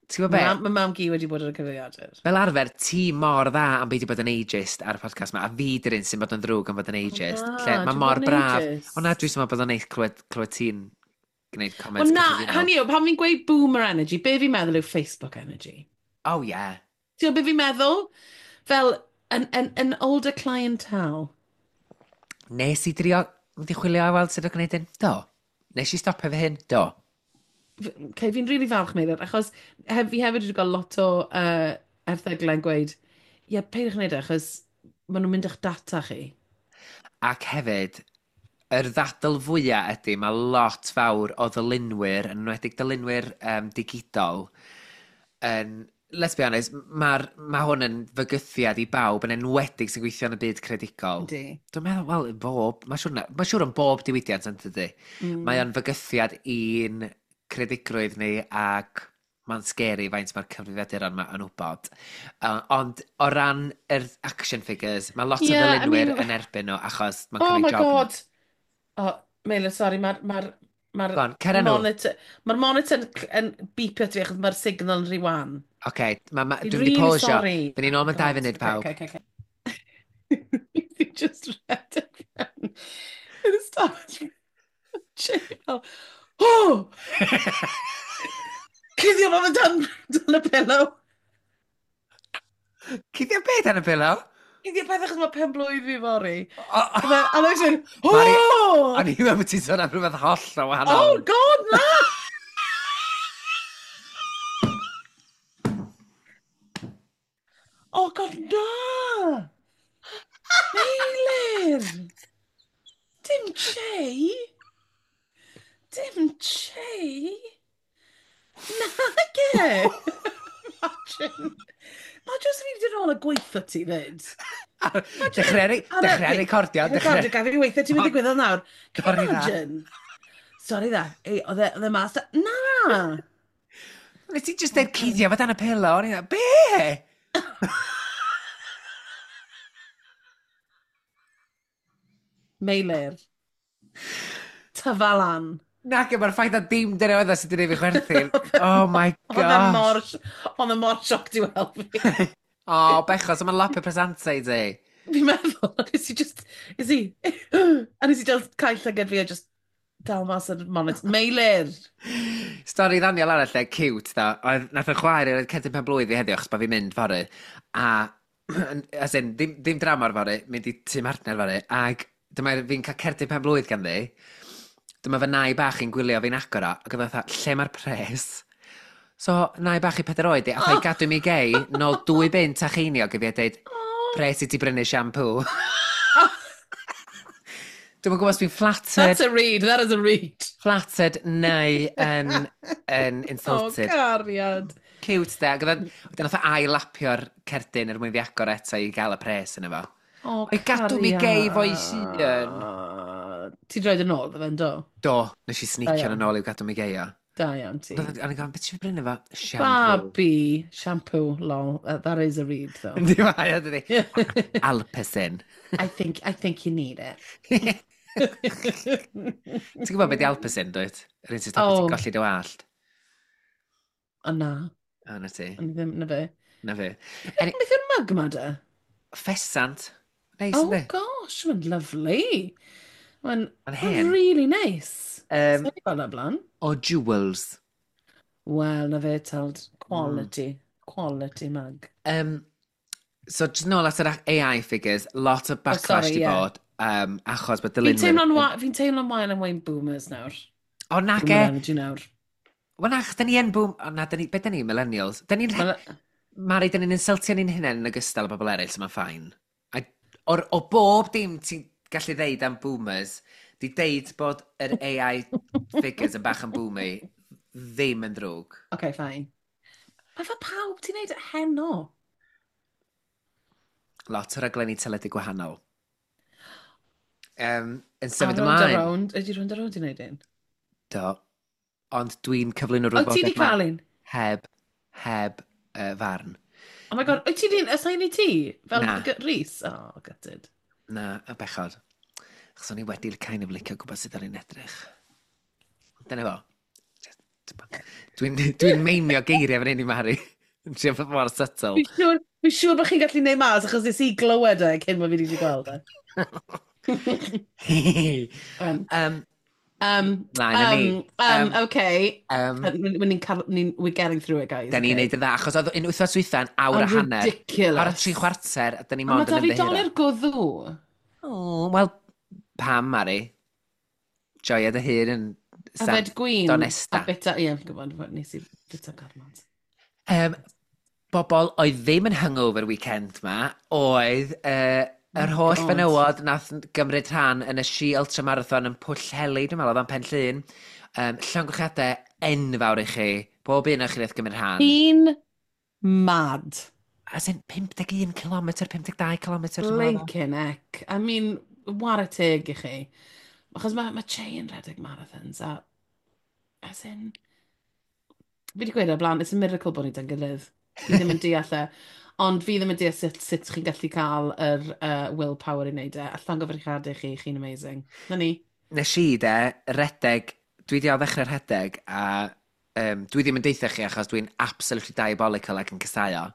Ti'n gwybod Mae be? mam gi wedi bod ar y cyfrifiadur. Fel arfer, ti mor dda am beidio bod yn ageist ar y podcast yma, a fi dy'r un sy'n bod yn ddrwg am fod yn ageist. Na, Lle, mae dwi'n mor bod yn braf. ageist. O na, dwi'n meddwl bod o'n neis clywed ti'n gwneud comments Wel na, cyffredinol. hynny yw, pan fi'n gweud boomer energy, be fi'n meddwl yw Facebook energy. Oh yeah. Ti'n gwybod be fi'n meddwl? Fel an older clientele. Nes i drio, wedi chwilio a weld sut o'n gwneud hyn? Do. Nes i stopio fy hyn? Do. Okay, fi'n really falch, Meilir, achos fi hefyd wedi cael lot o erthyglau'n gweud, ie, yeah, peidiwch wneud e, achos maen nhw'n mynd i'ch data chi. Ac hefyd, yr ddadl fwyaf ydy, mae lot fawr o ddylunwyr, yn enwedig dylunwyr digidol, yn, let's be honest, ma hwn yn fygythiad i bawb, yn enwedig sy'n gweithio yn y byd creadigol. Yndi. Dwi'n meddwl, wel, bob, mae'n siŵr, ma siŵr yn bob diwydiant yn dydy. Mae o'n fygythiad i'n credigrwydd ni ac mae'n scary faint mae'r cyfrifiaduron yma yn wybod. Ond o ran yr action figures, mae lot Yeah, o I ddylunwyr mean- yn erbyn nhw achos mae'n Oh cymryd my job nhw. God! Oh, Meilir, sorry, mae'r Go on, cer â nhw. monitor, mae'r monitor yn beepio at fi achos mae'r signal yn rhy wan. Oce, Fi'n dwi'n mynd i really pausio. sorry. Fy ni'n ôl mewn 2 funud, pawb. Okay, okay. Fi just rhedeg fewn i'r ystafell. Jay fel, oh! Cuddio fo fe dan y pillow. Cuddio beth dan y pillow? Cuddio peth achos mae pen blwydd fi fory. A oedd e'n oh! O'n i'n meddwl bod ti'n sôn am rhywbeth holl o wahanol. Oh, God, na! Oh, God, na! Meilir! Dim Che! Dim Che! Nage! Imagine. Mae jyst fi wedi rôl y gweithio ti fyd. Dechrau recordio. Recordio, gaf fi weithio ti'n mynd ddigwyddodd nawr. Can you imagine? Sorry dda. Ei, oedd e mas da. Na! Nes ti just deud cuddio fo dan y pillow. O'n i'n be? Meilir. Tyfa lan. Nac, mae'r ffaith na dim dyna oedd o sydd wedi gwneud fi chwerthin. Oh my gosh. Oedd e mor sioc i weld fi. O, oh, bechos, mae'n lapio presantau i ti. Fi'n meddwl, nes i just, nes i, a nes i just cael llygad fi a just dal mas yr monitor. Meilir! Stori ddaniol arall, e, cute, da. Oedd, nath y chwaer i'r cerdyn pen blwydd i heddiw, achos bod fi'n mynd fory. A, as in, ddim, ddim drama'r fory, mynd i tŷ partner fory. Ac dyma fi'n cael cerdyn pen blwydd ganddi. Dyma fy nai bach i'n gwylio fi'n agor o, ac oedd fatha, lle mae'r pres? So, nai bach i 4 oed i, a oh. gadw mi gei, nôl 2 bunt a cheiniog i fi a dweud, pres i ti brynu shampoo. Dwi'm yn gwybod os dwi'n flattered. That's a read, that is a read. Flattered neu yn insulted. Oh, cariad. Cute, de. Ac oedd wedyn nath o ail-lapio'r cerdyn er mwyn fi agor eto i gael y pres yna fo. Oh, O'i gadw mi gei fo'i hun. Ti'n droed yn ôl, ddo fe'n do? Do, nes i sneakio yn ôl i'w gadw mi gei o. Da iawn ti. A o'n i'n gofyn, beth ti'n brynu fo? Shampoo. Babi, shampoo, lol. That is a read, though. Yndi mae, o, dydi. Alpecin. I think you need it. Ti'n gwybod beth di Alpecin, dwyt? Yr un sy'n stopio ti'n golli dy wallt. O na. O, na ti. O'n i ddim, na fe. Na fi. Beth yw'r mug yma de? Ffesant. Neis, Oh yndi? gosh, mae'n lovely. Mae'n Mae'n ma hen. really nice. Sa'n gweld o blaen. O Jewels. Wel, na fe, teld. Quality. Quality mug. So, just nôl at yr AI figures, lot o backlash Oh, sorry, di ie. bod, achos bod Fi'n dylunwyr. teimlo'n teimlo'n wael am wein boomers nawr. O, na Boomer ge. energy nawr. Wel, na, achos da ni yn boom. O, na, da ni, beth da ni, millennials? Da ni'n Mari, da ni'n insultio ni'n hunain yn ogystal â bobl eraill, so mae'n fine. A, o bob dim ti'n gallu ddeud am boomers, di deud bod yr AI figures yn bach yn boomy, ddim yn ddrwg. Okay, fine. Mae fel pawb ti'n neud heno. Lot o raglenni teledu gwahanol. Yn A symud Rownd a ymlaen. Rownd. Ydy Rownd a Rownd i wneud un? Do. Ond dwi'n cyflwyno O, ti rhywbeth di cael un? heb farn. Oh my God, wyt ti di assign i ti? Fel Na. Rhys? Oh, gutted. Na, y bechod. Achos o'n i wedi kind of licio gwybod sut o'n i'n edrych. Dyna fo. Dwi'n meimio geiriau fan hyn i Mari. Yn trio bod mor subtle. Fi'n siŵr bod chi'n gallu neud mas achos nes i glywed e cyn bod fi wedi gweld e. Mlaen â ni. Okay. Ni'n, we're getting through it, guys. Da ni'n okay? neud yn dda, achos oedd un wythnos dwytha'n awr a hanner. Ridiculous. Awr a tri chwarter, a da ni A mae mond da yn fi ymddiheuro. dolur gwddw. O, wel, pam, Mari? Joia dy hun yn Yfed gwin. Donesta. A bita, ie, fi'n gwybod, nes i bita gormod. Bobl oedd ddim yn hungover weekend ma, oedd yr Oh holl God. fenywod nath gymryd rhan yn y She Ultramarathon yn Pwllheli, dwi'n meddwl, oedd o'n Pen Llŷn. Llongyfarchiadau enfawr i chi. Bob un o'ch chi nath gymryd rhan. Fi'n mad. As in, 51 km, 52 km. Dwi'n meddwl. Blinking heck. I mean, whare teg i chi. Achos mae Che yn rhedeg marathons a as in, fi wedi gweud o'r blaen, it's a miracle bod ni da'n gilydd. Fi ddim yn deall e. Ond fi ddim yn deall sut chi'n gallu cael yr willpower i wneud e. A llongyfarchiadau chi, chi'n amazing. Na ni. Nes i de, redeg, dwi di o ddechrau rhedeg a dwi ddim yn deutha chi achos dwi'n absolutely diabolical ac yn casáu o.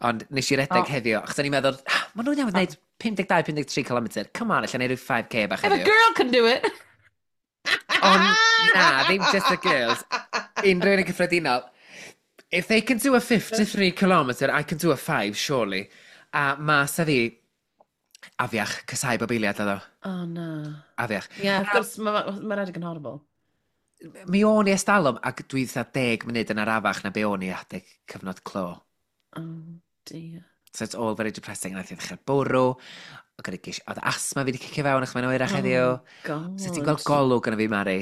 Ond nes i redeg heddiw, achos o'n i'n meddwl, ah, maen nhw'n iawn wneud 52-53 km. Come on, allan neud rhyw 5K bach If a heddiw. girl can do it! Ond na, ddim just the girls. Unrhyw un yn cyffredinol. If they can do a 53 kilometre, I can do a 5, surely. A mas a fi, afiach, cysau bob eiliad oedd o. Oh, na. Afiach. Ie, yeah, wrth gwrs, mae ma redeg yn horrible. Mi o'n i estalwm, ac dwi dda 10 munud yn arafach na be o'n i adeg cyfnod clo. Oh, dear. So it's all very depressing. A nath i ddechrau bwrw. Oedd oedd asthma fi wedi cicio fewn achos mae'n oerach heddiw. Oh, God. So ti'n gweld golwg yn y fi, Mari?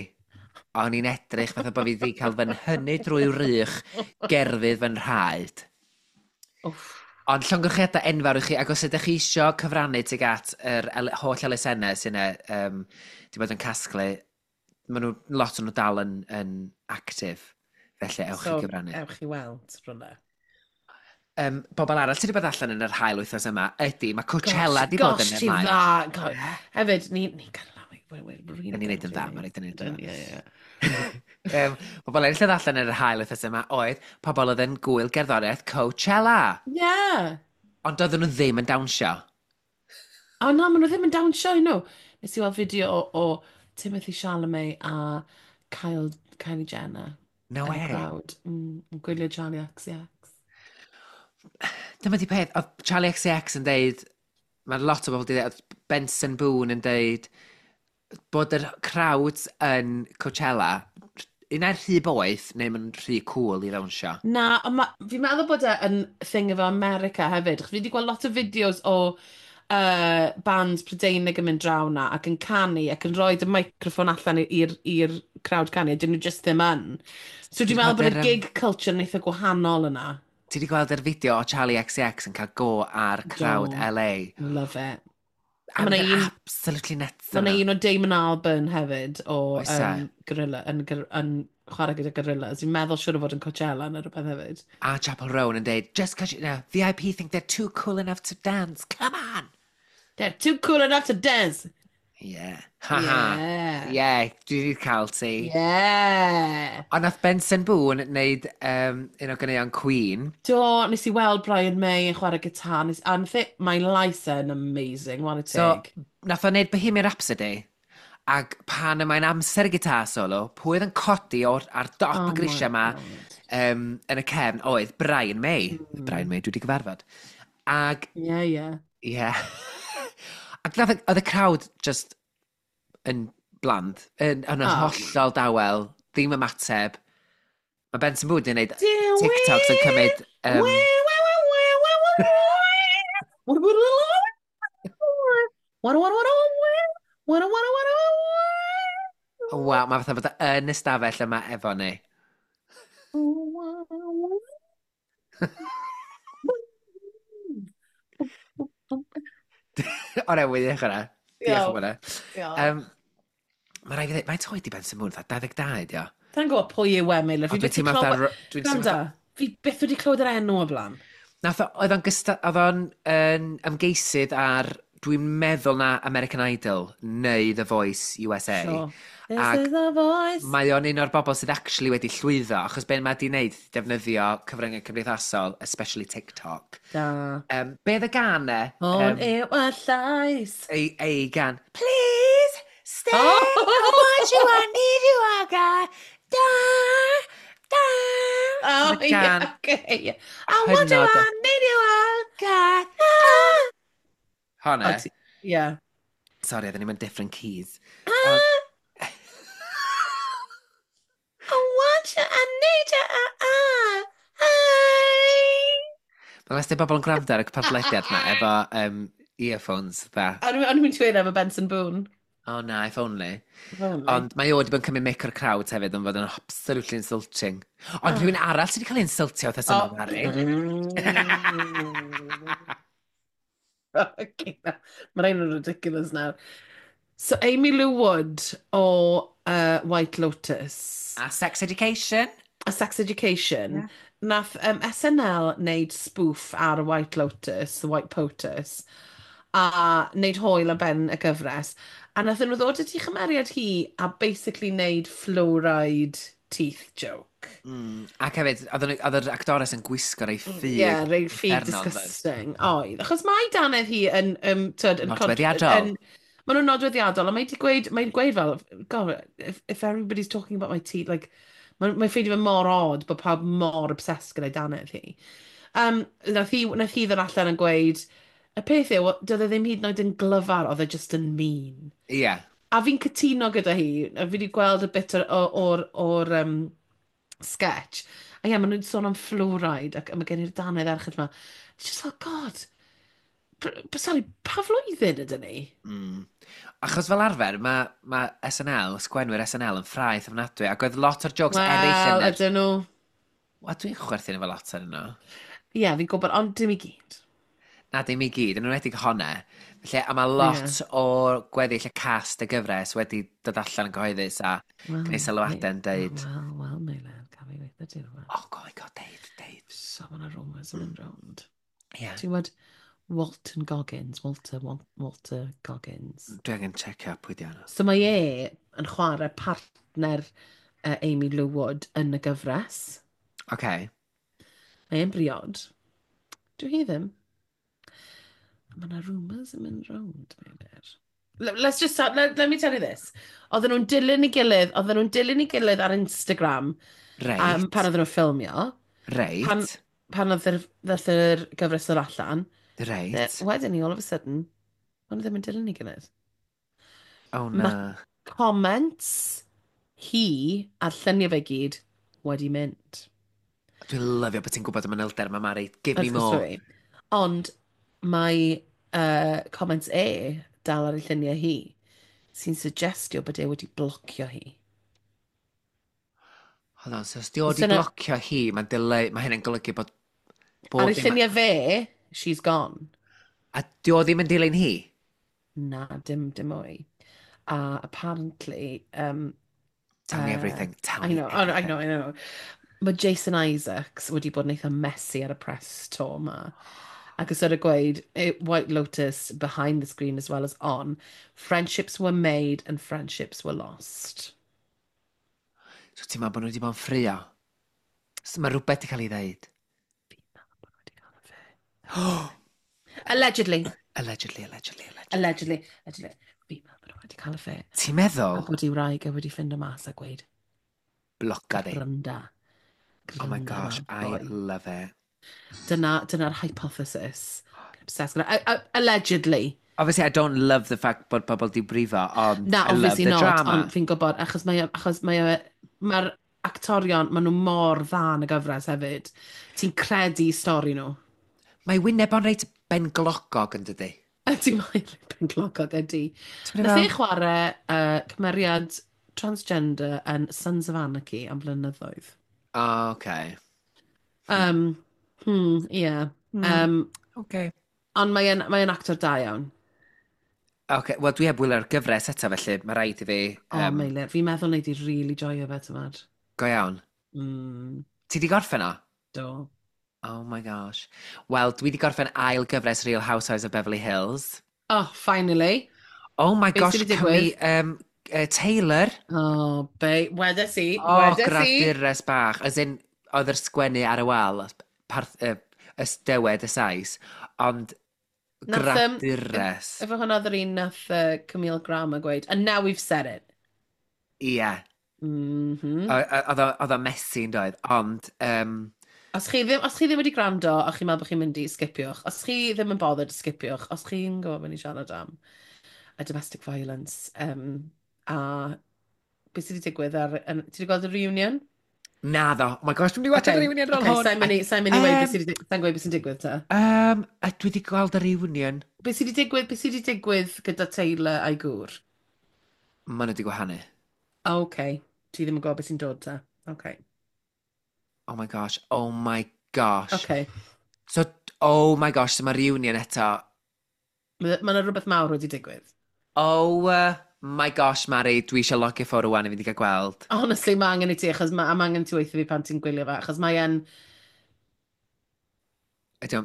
O'n i'n edrych fatha bod fi wedi cael fy nhynnu drwy wrych gerfydd fy nhraed. Wff. Ond llongyfarchiadau enfawr i chi, ac os ydych chi isio cyfrannu tuag at yr holl elusennau sy'n di bod yn casglu, maen nhw, lot o'n nhw dal yn actif, felly ewch so, i gyfrannu. Ewch i weld rhywle. Bobl arall sydd wedi bod allan yn yr haul wythnos yma ydy, mae Coachella di bod yn y maes. Gosh, dda. Gosh. Hefyd, ni cael Da ni'n neud yn dda, mae'n rhaid yn neud yn dda. Ie, ie. Pobl eraill oedd allan yn yr haul wythnos yma oedd pobl oedd yn gwyl gerddoriaeth Coachella. Ie. Yeah. Ond doedden nhw ddim yn dawnsio. O na, maen nhw ddim yn dawnsio, you know. Nes i weld fideo o Timothy Chalamet a Kylie Jenner. No way. Crowd. Yn gwylio Charlie XCX. Dyma di peth, oedd Charlie XCX yn deud, mae lot o bobl wedi deud, oedd Benson Boone yn deud, bod yr crowds yn Coachella, un ai'n rhy boeth neu maen nhw'n rhy cool i ddawnsio. Na, ond fi'n meddwl bod e yn thing efo America hefyd. Achos fi wedi gweld lot o fideos o bands Prydeinig yn mynd draw na ac yn canu ac yn rhoi y microffon allan i'r crowd canu a dyn nhw just ddim yn. So dwi'n meddwl bod y gig culture yn eitha gwahanol yna. Ti wedi gweld yr fideo o Charlie XCX yn cael go ar crowd Do. LA? Love it. A Ma' 'na mae'n un- absolutely nuts Mae yna yna. un o Damon Albarn hefyd o Oes e? Gorilla, yn chwarae gyda Gorillaz. Fi'n meddwl siŵr o fod yn Coachella neu rhywbeth hefyd. A Chappell Roan yn deud, just cause you know, VIP think they're too cool enough to dance, come on! They're too cool enough to dance! Yeah. Ha ha. Yeah. Yeah, dwi wedi cael ti. Yeah. Ond nath Benson Boone wneud un o ganeuon Queen. Do, nes i weld Brian May yn chwarae gitar. Nes, a nath mae lais e'n amazing, what a So, tig. nath o wneud Bohemian Rhapsody, ac pan y mae'n amser y gitar solo, pwy oedd yn codi o'r, ar dop Oh y grisiau my yma God. yn y cefn oedd Brian May. Brian May, dwi wedi gyfarfod. Ac, Yeah. ie. Yeah. Ac nath, oedd y crowd just yn bland, yn Oh. hollol dawel, ddim ymateb. Mae Benson Boone wedi gwneud Do TikToks yn cymryd... Waw, mae fatha bod o yn ystafell yma efo ni. O'r ewydd i hwnna. Diolch am hwnna. Mae rhaid fi ddweud, mae'n oed i Benson Boone, fatha 22 ydi o. Sa'n gwybod pwy yw e, Meilir. Fi Ond dwi'n byth 'di teimlo fatha... clywed... Dwi'n teimlo Gwranda, fi byth wedi clywed yr enw o blaen. Nath o, oedd o'n gysta, oedd o'n yn ymgeisydd ar, dwi'n meddwl na American Idol neu The Voice USA. Sure. This Ac is the voice. Mae o'n un o'r bobl sydd actually wedi llwyddo, achos be mae di wneud, defnyddio cyfryngau cymdeithasol, especially TikTok. Da. Be oedd y gan e? Hwn yw y llais. Ei gan. Please, stay, Oh! I want you, I need you, I got, da, da. Oh, Y gan yeah, okay. I want you, hynod o- I need you, I got, da. Honna. Oh, Yeah. Sorry, oedden ni'n mynd different keys. Ah, I want you, I need you, I, I. Mae les bobl yn gwrando ar y podlediad yma efo earphones, dda. O'n i'n mynd i dweud efo Benson Boone. Oh na, if only. If only. Ond mae o wedi bod yn cymryd mic o'r crowd hefyd, yn fod yn absolutely insulting. Ond rhywun arall sydd wedi cael ei insultio wrth Oh. yma, Mari. Okay, na. Mae rhain yn ridiculous nawr. So, Amy Lou Wood o White Lotus. A Sex Education. A Sex Education. Yeah. Nath SNL wneud spoof ar White Lotus, The White POTUS, a wneud hwyl am ben y gyfres. A nath nhw ddod at ei chymeriad hi a basically wneud fluoride teeth joke. Ac hefyd, oedd yr actores yn gwisgo rei ffug. Ie, yeah, rei ffug uffernol, doedd? disgusting. Oedd. Achos mae dannedd hi yn... Tyd, yn Nodweddiadol. Maen nhw'n nodweddiadol, a mae di gweud, mae'n gweud fel, God, if everybody's talking about my teeth, like, Mae'n ffeindio fe mor odd bod pawb mor obsessed gyda'i dannedd hi. Nath hi ddod allan yn gweud, y peth yw, doedd e ddim hyd yn oed yn glyfar, oedd e just yn mean. Ie. Yeah. A fi'n cytuno gyda hi, a fi wedi gweld y bit o'r sketch. A ie, maen nhw'n sôn am fluoride, ac mae gen i'r dannedd erchyll yma. It's just like, God, sorry, pa flwyddyn ydyn ni? Achos fel arfer, mae SNL, sgwenwyr SNL yn ffraeth ofnadwy, ac oedd lot o'r jokes eraill Wel, yn yr. Ydyn nhw. Wel, dwi'n chwerthin efo lot ar nhw. Ie, yeah, fi'n gwybod, ond dim i gyd. Na, dim i gyd, yn enwedig honna. Felly, a mae lot o'r gweddill y cast y gyfres wedi dod allan yn gyhoeddus a Wel, gwneud sylwadau yn deud, Wel, wel, Meilir, gaf i weithio ti rhywbeth. "Oh, go, go, deud, deud." So, mae yna rumours yn mynd rownd. Ie. Ti'n gwybod Walton Goggins, Walter, Walter Goggins. Dwi angen checio pwy di hwnna. So mae e yn chwarae partner Amy Lou Wood yn y gyfres. Okay. Mae e'n briod. Dwi hi ddim. Mae yna rumours yn mynd rownd, Meilir. Let's just, let me tell you this. Oedden nhw'n dilyn ei gilydd, oedden nhw'n dilyn ei gilydd ar Instagram pan oedden nhw'n ffilmio. Pan oedd ddath yr gyfres ddod allan. Wedyn ni, all of a sudden, maen nhw ddim yn dilyn ei gilydd. Oh, na. Comments hi a'r lluniau fe gyd wedi mynd. Dwi'n lyfio bod ti'n gwybod y manylder yma, Mari. Give me Wrth gwrs more. dwi. Ond mae comments e dal ar ei lluniau hi sy'n suggestio bod e wedi blocio hi. Hold on, so os di o di blocio hi, mae'n dileu, mae hynny'n golygu bod Ar bob ei dim. lluniau fe, she's gone. A di o ddim yn dilyn hi? Na, dim mwy. A apparently, Tell me everything. Tell I me know, oh, I everything. know, I know. Mae Jason Isaacs wedi bod yn eitha messy ar y press tour ma. Ac yn sort of gweud, White Lotus behind the screen as well as on, friendships were made and friendships were lost. So ti'n meddwl bod nhw wedi bod yn ffrio? So mae rhywbeth wedi cael ei ddeud. Fi'n meddwl bod nhw wedi cael affair. Allegedly. Allegedly, allegedly, allegedly. Allegedly. Allegedly. Fi'n meddwl bod nhw wedi cael affair. Ti'n meddwl? A bod ei wraig e wedi ffindo mas a gweud, Bloca di. "Granda. Oh my Granda gosh, ma, I boi." love it. Dyna'r hypothesis. Obsessed gyda. Allegedly. Obviously, I don't love the fact bod pobl di brifo, ond Na, I love obviously the not, drama. ond fi'n gwybod, achos mae'r actorion, maen nhw mor dda yn y gyfres hefyd. Ti'n credu stori nhw. Mae wyneb o'n reit benglogog yn dydi? Ydy, mae'n benglogog ydy. Ti'n Nath mynd e chwarae cymeriad transgender yn Sons of Anarchy am blynyddoedd. Oh, okay. Yeah. Okay. Ond mae'n mae actor da iawn. Okay, wel dwi heb wylio'r gyfres eto, felly mae rhaid i fi. O, oh, Meilir, fi'n meddwl nei di really joio fe, tymod. Go iawn. Ti di gorffen o? Do. Oh my gosh. Wel, dwi di gorffen ail gyfres Real Housewives of Beverly Hills. Oh, finally. Oh my Beth gosh, sy 'di Cymru, digwydd? Taylor. Oh, be, wedes i, Oh, wedes i. gradures bach. As in, oedd yr sgwennu ar y wal, parth, ysdywed y Sais, ond gradures. Efo hwnna oedd yr un nath Camille Graham yn gweud, "And now we've said it." Ie. Yeah. Oedd o messy yn doedd, ond Os chi ddim wedi gwrando a chi'n meddwl bod chi'n mynd i skipiwch, os chi ddim yn bothered, skipiwch, os chi'n gwybod beth ni'n siarad am, y domestic violence, a beth sydd wedi digwydd ar... Ti wedi gweld y reunion? Naddo. Oh my gosh, dwi'n mynd i watch y reunion ar ôl Okay, hwn. sa'n mynd i weud beth sydd wedi, sa'n gweud beth sy'n digwydd ta. A dwi wedi gweld y reunion. Beth sydd wedi digwydd gyda Taylor a'i gŵr? Maen nhw wedi gwahanu. Okay, ti ddim yn gwybod beth sy'n dod ta. Okay. Oh my gosh, oh my gosh. Okay. So, oh my gosh, so mae reunion eto. Mae yna rhywbeth mawr wedi digwydd. Oh my gosh, Mari, dwi eisiau logio ffwrdd rwan i fynd i gael gweld. Honestly, mae angen i ti, achos mae angen i ti weithio fi pan ti'n gwylio fe, achos mae e'n.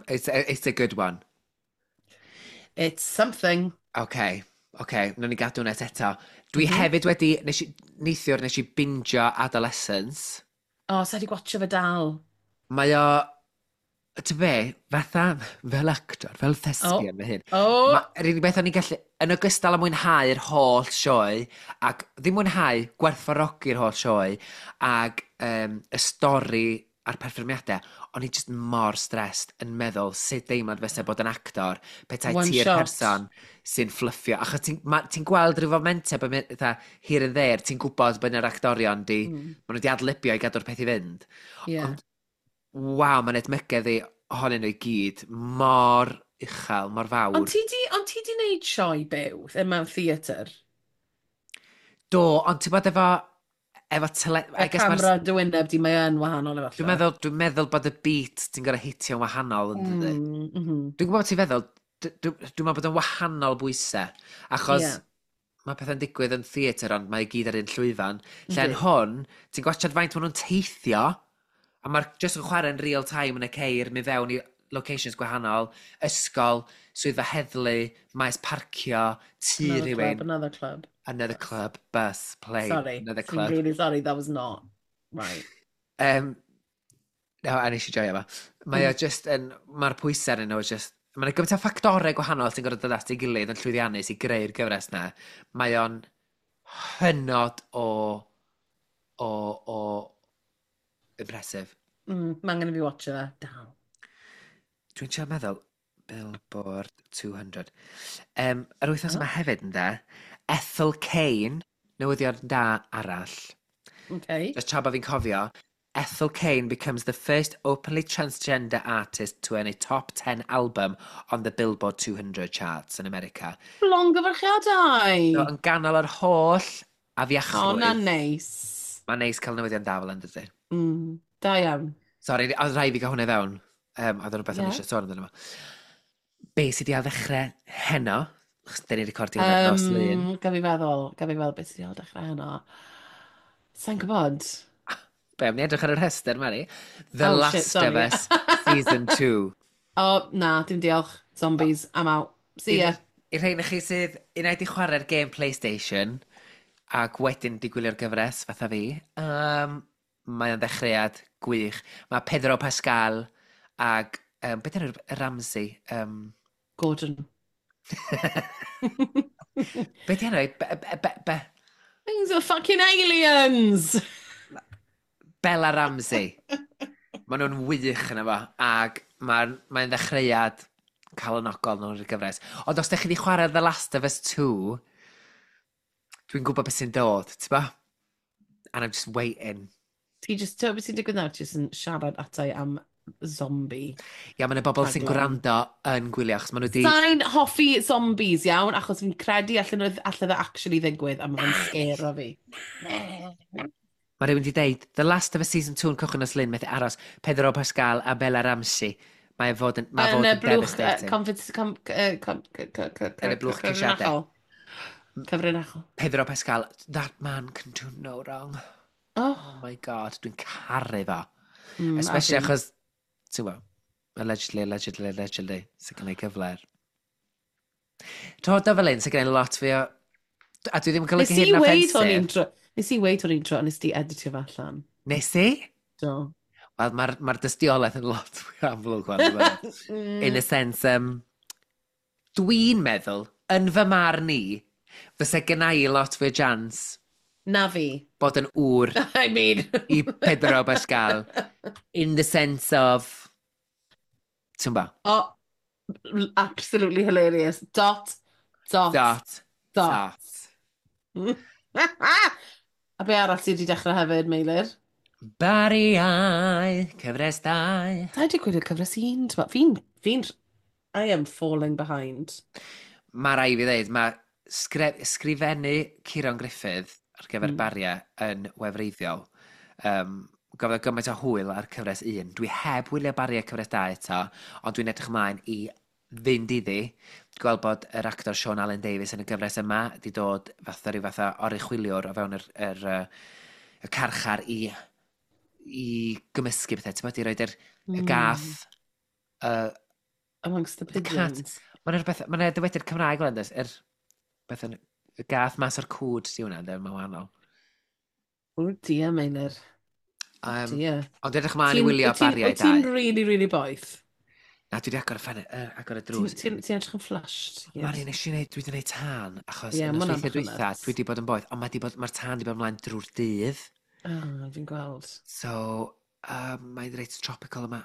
It's a good one. It's something. Okay, nawn ni gadw hwnna eto. Dwi hefyd wedi, neithiwr nes i bingio Adolescence. O, oh, sa di gwatcho fe dal. Mae o Ty be, fatha fel actor, fel Oh, thespian fy hun, oh, yr unig beth o'n i'n gallu, yn ogystal â mwynhau'r holl sioe, ac ddim mwynhau, gwerthfawrogi'r holl sioe, ac y stori a'r perfformiadau, o'n i just mor stressed yn meddwl sut deimlad fysa bod yn actor petai one ti'r shot. person sy'n fluffio. Achos ti'n ti gweld rhyw fomentau bod fatha, here and there, ti'n gwybod bod yna'r actorion di, maen nhw wedi adlibio i gadw'r peth i fynd. Yeah. Ond, waw, mae'n edmygedd i ohonyn nhw i gyd mor uchel, mor fawr. Ond ti di wneud sioe byw yn mewn theatr? Do, ond ti'n bod efo tele... Y I guess ma'r- camera dy wyneb di, mae yn wahanol efallai. Dwi'n meddwl bod y beat ti'n gorau hitio'n wahanol yn dydy. Dwi'n gwybod beth ti'n feddwl, dwi'n meddwl bod yn wahanol bwysau. Achos mae pethau'n digwydd yn theatr, ond mae i gyd ar un llwyfan. Lle yn Yndi. hwn, ti'n gwachod faint maen nhw'n teithio, a mae'r just yn chwarae yn real time yn y ceir, mynd fewn i locations gwahanol, ysgol, swyddfa heddlu, maes parcio, tŷ Another rhywun, club, another club. Another club, bus, plane, Sorry. another I'm club. really sorry, that was not right. No, a nes i joio fo. Mae o just yn, mae'r pwysau arnyn nhw just, mae'n gymaint o ffactorau gwahanol sy'n gorfod dod at ei gilydd yn llwyddiannus i greu'r gyfres na. Mae o'n hynod o impressive. Mae angen i fi watch fe. Dal. Dwi'n trio meddwl, Billboard 200. Yr wythnos yma hefyd, ynde, Ethel Cain, newyddion da arall. Just tra bod fi'n cofio, Ethel Cain becomes the first openly transgender artist to earn a top 10 album on the Billboard 200 charts in America. Llongyfarchiadau! So, yn ganol yr holl O, afiachrwydd, na neis. mae'n neis cael newyddion da fel yn dydy. Da iawn. Sorry, oedd rhaid fi gael hwnna i fewn. Oedd o'n rhywbeth o'n eisiau sôn amdano fo. Be sydd wedi ddechrau heno? Achos dyn ni'n recordio hwnna nos Lun. Gaf fi feddwl beth sydd wedi dechrau heno. Sa'n gwybod? Be, am ni edrych ar y rhestr, Mari? The Oh, Last shit, sorry. of Us Season 2. O, na, dim diolch. Zombies, I'm out. See ya. I'r rhain i chi sydd unai di chwarae'r game PlayStation ac wedyn di gwylio'r gyfres fatha fi, mae o'n ddechreuad gwych. Mae Pedro Pascal ag, beth yw'r Ramsey? Gordon. Beth yw'r enw? Be, be, be, be, Things are fucking aliens! Bella Ramsey. Maen nhw'n wych yna fo, ac mae'n mae ddechreuad calonogol nhw'n y gyfres. Ond os ydych chi wedi chwarae The Last of Us 2, dwi'n gwybod beth sy'n dod, ti'n ba? And I'm just waiting. Ti just, ti'n beth sy'n digwydd nawr? Ti just yn siarad atai am zombie. Ia, mae yna bobl sy'n Rhaglen. gwrando yn gwylio, achos maen nhw wedi. Sa'n hoffi zombies, iawn, achos fi'n credu allan nhw allan dde actually ddigwydd, a mae'n scare fi. Mae rhywun wedi deud, The Last of Us Season 2 yn cychwyn nos Lun, methu aros, Pedro Pascal a Bella Ramsey. Mae fod yn, mae Yn fod y yn blwch, devastating. Yn y blwch ceisiadau. cyfrinachol. Cyfrinachol. Pedro Pascal, that man can do no wrong. Oh, Oh my God, dwi'n caru fo. A Especially fi. achos, ti'n gwybod, allegedly, allegedly, allegedly, sy'n cael ei cyfle. Dod o fel un, sy'n gwneud lot fi o. A dwi ddim yn Nes golygu i hyn weud hwn offensive. un tro. Nes i weud hwn un tro, a nes di editio fe allan. Nes i? Do. Wel, mae'r ma dystiolaeth yn lot fwy amlwg wan, dwi'n meddwl. In a sense, dwi'n meddwl, yn fy marn i, fysa gynna i lot fwy o chance Na fi. bod yn ŵr I mean. i Pedro Pascal. In the sense of... Ti'n ba? Oh, absolutely hilarious. Dot, dot, Dot. dot. Dot. A be arall sydd wedi dechrau hefyd, Meilir? Bariau, cyfres 2. Da wedi gwylio cyfres 1, ti'n Fi'n, I am falling behind. Mae rai fi ddeud, mae sgrifennu Ciron Griffith ar gyfer Bariau yn wefreiddiol. Gafodd o gymaint o hwyl ar cyfres 1. Dwi heb wylio Bariau cyfres 2 eto, ond dwi'n edrych ymlaen i fynd iddi. Gweld bod yr actor Sean Allen Davies yn y gyfres yma di dod fatha rhyw fatha oruchwyliwr o fewn y carchar i gymysgu pethau. Ti'n bod, i roed y gath, Amongst the the cat. pigeons. Mae'n rhywbeth, mae'n dywediad Cymraeg fel ynddo, beth yn, y gath mas o'r cwd di hwnna, ynddo, mae'n wahanol. Oh dear, Meilir. Oh dear. Ond edrych ymlaen i wylio Wyt ti'n- Bariau Wyt ti'n 2. really, really boeth? Na, dwi wedi agor y ffenest, agor y drws. Ti'n edrych yn flushed. Yes. Mari, nes i wneud, dwi wedi gwneud tân, achos yeah, yn ma' hwnna'n nosweithiau bach yn dwytha, nuts. dwi wedi bod yn boeth, ond mae'r ma tân wedi bod ymlaen drwy'r dydd. Oh, fi'n gweld. So, mae'n reit tropical yma.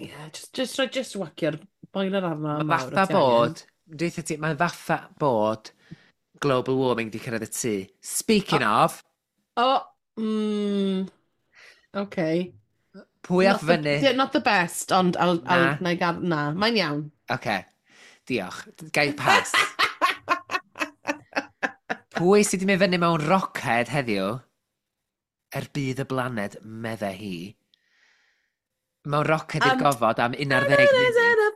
Yeah, just, rhoi, just wacio'r boiler arno. Mae mawr, fatha os ti angen. bod, dweud ti, mae'n fatha bod global warming di cyrraedd y tŷ. Speaking of, Oh, okay. pwy Not ath the- fyny? yeah, Not the best, ond I'll, Na. I'll, na, i gad, na, mae'n iawn. Oce, diolch. Gai pass. Pwy sydd wedi mynd fyny mewn roced heddiw? Er budd y blaned, medde hi. Mewn roced i'r gofod am 11 munud. a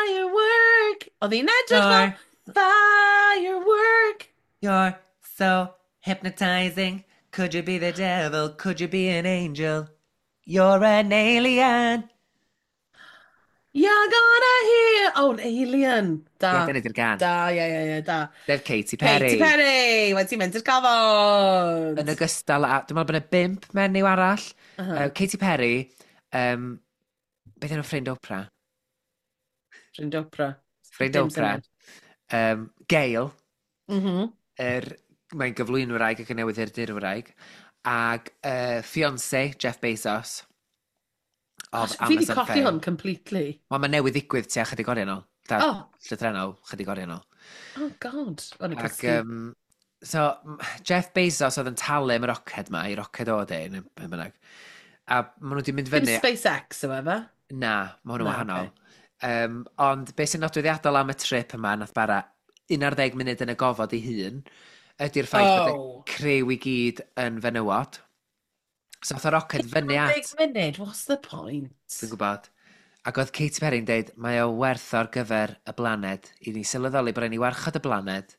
firework. Oedd hi'n edrych fel firework. You're so hypnotizing. Could you be the devil? Could you be an angel? You're an alien. You're gonna hear... Oh, an alien. Da. Ie, dyna di'r gan. Da, ie, ie, ie, da. Sef Katy Perry. Katy Perry, wedi mynd i'r gofod. Yn ogystal â, dwi'n meddwl bod yna bump menyw arall. Uh -huh. Katy Perry, beth enw ffrind Oprah? Ffrind Oprah. Ffrind Dim Oprah. syniad. Gail, mae'n gyflwynwraig ac yn newyddiadurwraig. Ag fiancé, Jeff Bezos. Of Gosh, fi wedi Amazon colli fame. hwn completely. Wel, mae newydd ddigwydd tua chydig oriau nôl. Da, Oh, llythrennol, chydig oriau nôl. oh God. O'n i'n Ac, cysgu. so, Jeff Bezos oedd yn talu am y roced ma, i roced o de, neu be bynnag. A maen nhw wedi mynd Dim fyny... SpaceX yw e, fe? Na, mae hwn yn Na, wahanol. Ond beth sy'n nodweddiadol am y trip yma, nath bara 11 munud yn y gofod ei hun, ydy'r ffaith bod y Oh. criw i gyd yn fenywod. So oedd y roced fyny at... 11 munud, what's the point? Dwi'n gwybod. Ac oedd Katy Perry'n deud, mae o werth ar gyfer y blaned. I ni sylweddoli bod rhaid ni warchod y blaned.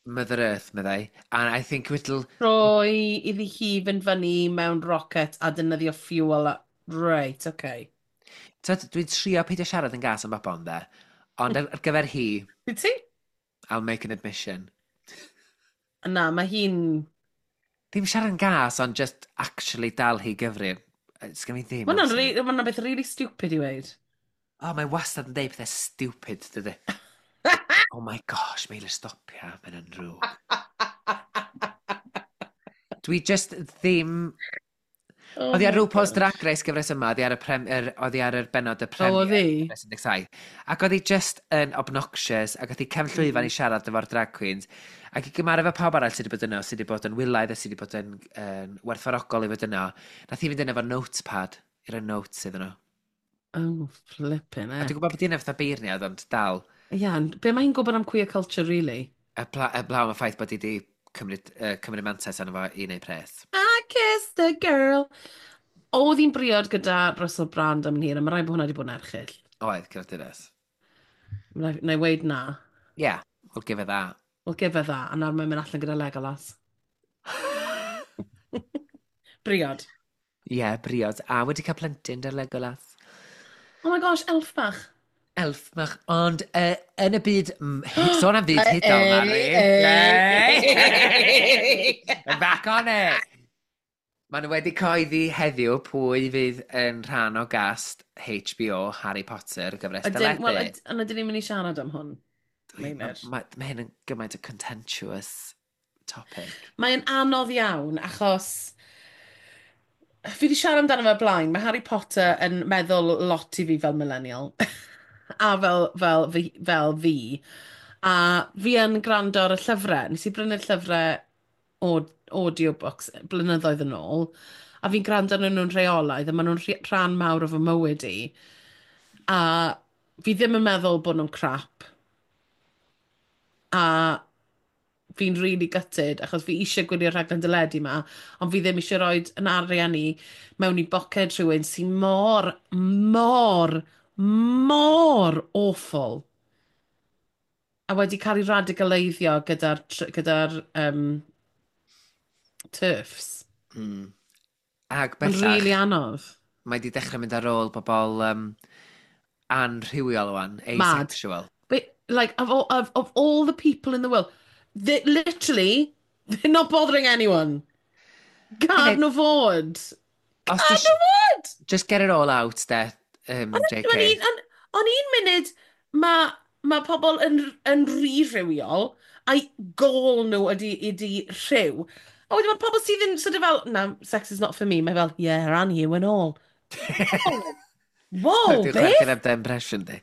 Mother Earth, meddai. And I think it'll... Roi iddi hi fynd fyny mewn rocket a defnyddio fuel. Right, okay. Tyd, dwi'n trio peidio siarad yn gas am bobl, de. Ond ar gyfer hi, Wyt ti? I'll make an admission. Na, mae hi'n... Ddim siarad yn gas, ond just actually dal hi gyfri. Sgen i ddim Mae hwnna'n amser. ma hwnna'n beth really stupid i weud. O, mae wastad yn deud pethau stupid, dydy. Oh my gosh, Meilir, stopia, mae'n yn drwg. Dwi just ddim. Oh Oedd hi ar my RuPaul's gosh. Drag Race gyfres yma, oedd hi ar y, prem, oedd hi ar yr benod y O, oedd premier. hi? Gyfres 17. Ac oedd hi just yn obnoxious, ac oedd hi cefn llwyfan i siarad efo'r drag queens. Ac i gymharu efo pawb arall sydd wedi bod yno, sydd wedi bod yn wylaidd a sydd wedi bod yn werthfawrogol i fod yno, nath hi fynd yno efo notepad i roi notes iddyn nhw. Oh, flipping A heck. dwi'n gwybod bod hi'n fatha beirniad, ond dal, Ie, ond be mae hi'n gwybod am queer culture, really? y blaw am y ffaith bod hi wedi cymryd mantais arno fo i wneud pres. I kissed a girl. Oedd hi'n briod gyda Russell Brand am hir, a mae rhaid bod hwnna wedi bod yn erchyll. Oedd, gyda dynes. Na i weud na. Yeah, we'll give her that. We'll give her that. A nawr mae'n mynd allan gyda Legolas. Briod. Ie, yeah, briod. A wedi cael plentyn 'da Legolas. Oh my gosh, elf bach. Elf bach. Ond yn y byd... Sôn am fyd hudol, Mari. Back on it! Maen nhw wedi cyhoeddi heddiw pwy fydd yn rhan o gast HBO Harry Potter, y gyfres Ydyn, wel, deledu. ond ydyn ni'n mynd i siarad am hwn? Meilir. Mae hyn yn gymaint o contentious topic. Mae'n anodd iawn, achos fi wedi siarad amdano fe blaen. Mae Harry Potter yn meddwl lot i fi fel millennial. A fel fi. A fi yn gwrando ar y llyfrau. Nes i brynu'r llyfrau o audiobooks blynyddoedd yn ôl. A fi'n gwrando arnyn nhw'n rheolaidd, a maen nhw'n rhan mawr o fy mywyd i. A fi ddim yn meddwl bod nhw'n crap. A fi'n really gutted, achos fi eisiau gwylio'r rhaglen deledu ma, ond fi ddim eisiau rhoi yn arian i mewn i boced rhywun sy'n mor, mor, mor awful. A wedi cael ei radicaleiddio gyda'r TERFs. Ag Mae'n bellach, really anodd. mae wedi dechrau mynd ar ôl bobl anrhywiol wan, Mad. asexual. But, like, of all the people in the world, they, literally, they're not bothering anyone. Gad nhw fod. Os Gad ti nhw fod! Just get it all out, de. JK. Ond un munud, mae pobl yn rhy rhywiol, a'i gôl nhw ydy rhyw. A wedyn mae pobl sydd yn sort of fel, "No, sex is not for me." Mae fel, "Yeah, and you and all." Oh, whoa, Dwi'n beth? chwerthin am dy impression di.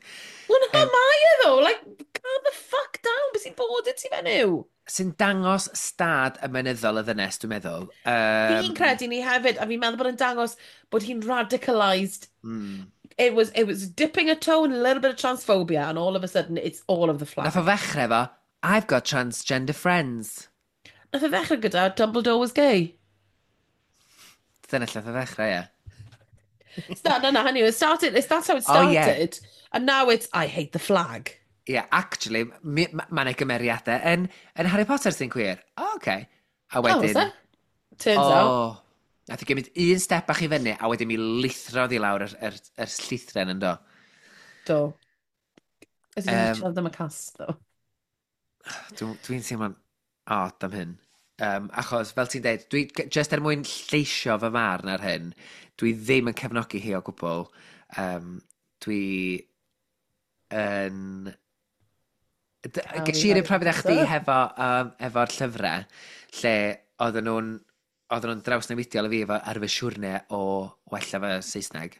Wel, na mae e ddo. Like, calm the fuck down. Beth sy'n bod i ti fenyw? Sy'n dangos stad ymenyddol y ddynes, dwi'n meddwl. Fi'n credu ni hefyd, a fi'n meddwl bod yn dangos bod hi'n radicalised. It was dipping a toe in a little bit of transphobia, and all of a sudden, it's all of the flag. Nath o ddechrau efo, "I've got transgender friends." Nath o ddechrau gyda "Dumbledore was gay." Dyna lle nath o ddechrau, ie. Start, no, hynny, that's how it Oh, yeah. started. And now it's, "I hate the flag." Ie, yeah, actually, ma' 'na gymeriadau yn Harry Potter sy'n queer. Oh, okay. A Oh, wedyn was it? Turns out. Oh, nath i gymryd un step bach i fyny, a wedyn mi lithrodd i lawr yr llithren yn do. Do. Ydyn ni'n siarad am y cast, though? Dwi'n teimlo'n odd am hyn. Achos, fel ti'n deud, dwi, just er mwyn lleisio fy marn ar hyn, dwi ddim yn cefnogi hi o gwbl. Dwi yn Ges i'r un profiad â chdi efo'r llyfrau, lle oedden nhw'n drawsnewidiol i fi efo ar fy siwrne o wella fy Saesneg.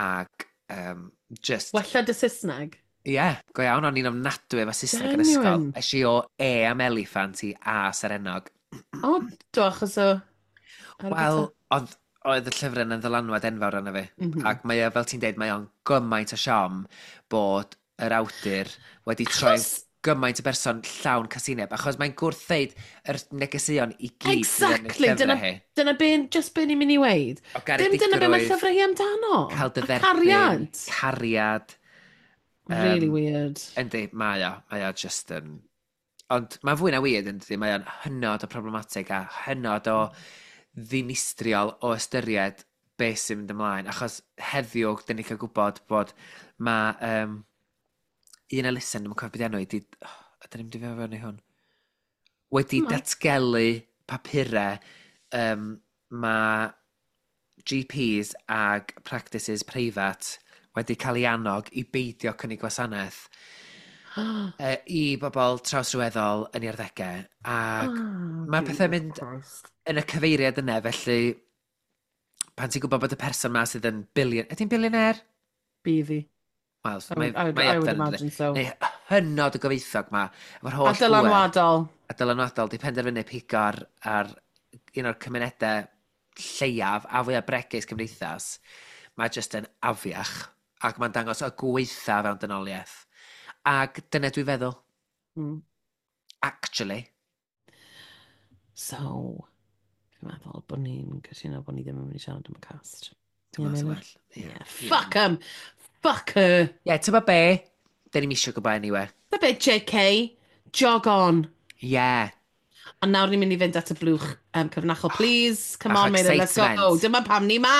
Ac just Wella dy Saesneg? Ie, yeah, go iawn, o'n i'n ofnadwy efo Saesneg yn ysgol. Genuine? Es i o E am eliffant i A serennog. O, do, achos o Harry Wel, Potter. oedd y llyfrau yn ddylanwad enfawr arno fi. Ac mae o, fel ti'n deud, mae o'n gymaint o siom bod yr awdur wedi troi gymaint o berson llawn casineb, achos mae'n gwrthdeud yr negeseuon i gyd sydd yn y Exactly, llyfrau dyna, hi. dyna be, just be ni'n mynd i weud. O Dim dyna be mae garedigrwydd, llyfrau hi amdano. cael dy A dderbyn, cariad. Cariad. Really weird. Yndi, mae o just yn. Ond mae'n fwy na weird, yndi, mae o'n hynod o problematic a hynod o ddinistriol o ystyried beth sy'n mynd ymlaen. Achos heddiw, dyn ni cael gwybod bod mae un elusen, dwi'n cofio beth enw i, di, oh, ydyn ni'n mynd i fewn i hwn, wedi datgelu papurau, mae GPs ag practices preifat wedi cael ei annog i beidio cynnig gwasanaeth i bobl trawsryweddol yn ei arddegau. Ac Oh, mae pethau'n Jesus mynd Christ. yn y cyfeiriad yna, felly pan ti'n gwybod bod y person ma sydd yn billion... Ydy'n billionaire? Bydd hi. Wel, I would, mae I up would there, yndi? imagine so. Neu hynod o gyfoethog ma, efo'r holl A dylanwadol. A dylanwadol, di penderfynu pigo ar un o'r cymunedau lleiaf a fwyaf bregus cymdeithas. Mae jyst yn afiach ac mae'n dangos y gweitha fewn dynoliaeth. Ac dyna dwi'n feddwl, actually. So, fi'n meddwl bod ni'n cytuno bod ni ddim yn mynd i siarad am y cast. Dwi'n Ie, meddwl Meilir? well. Ie. Yeah. Fuck 'em! Fuck her! Ie, ti'n be? Dyn ni'n isio gwybod anyway. The bit, JK. Jog on. Ie. Yeah. A nawr ni'n mynd i fynd at y blwch cyfrinachol. Please, come Bach o on, Meilir, let's go. excitement. Dyma pam ni ma!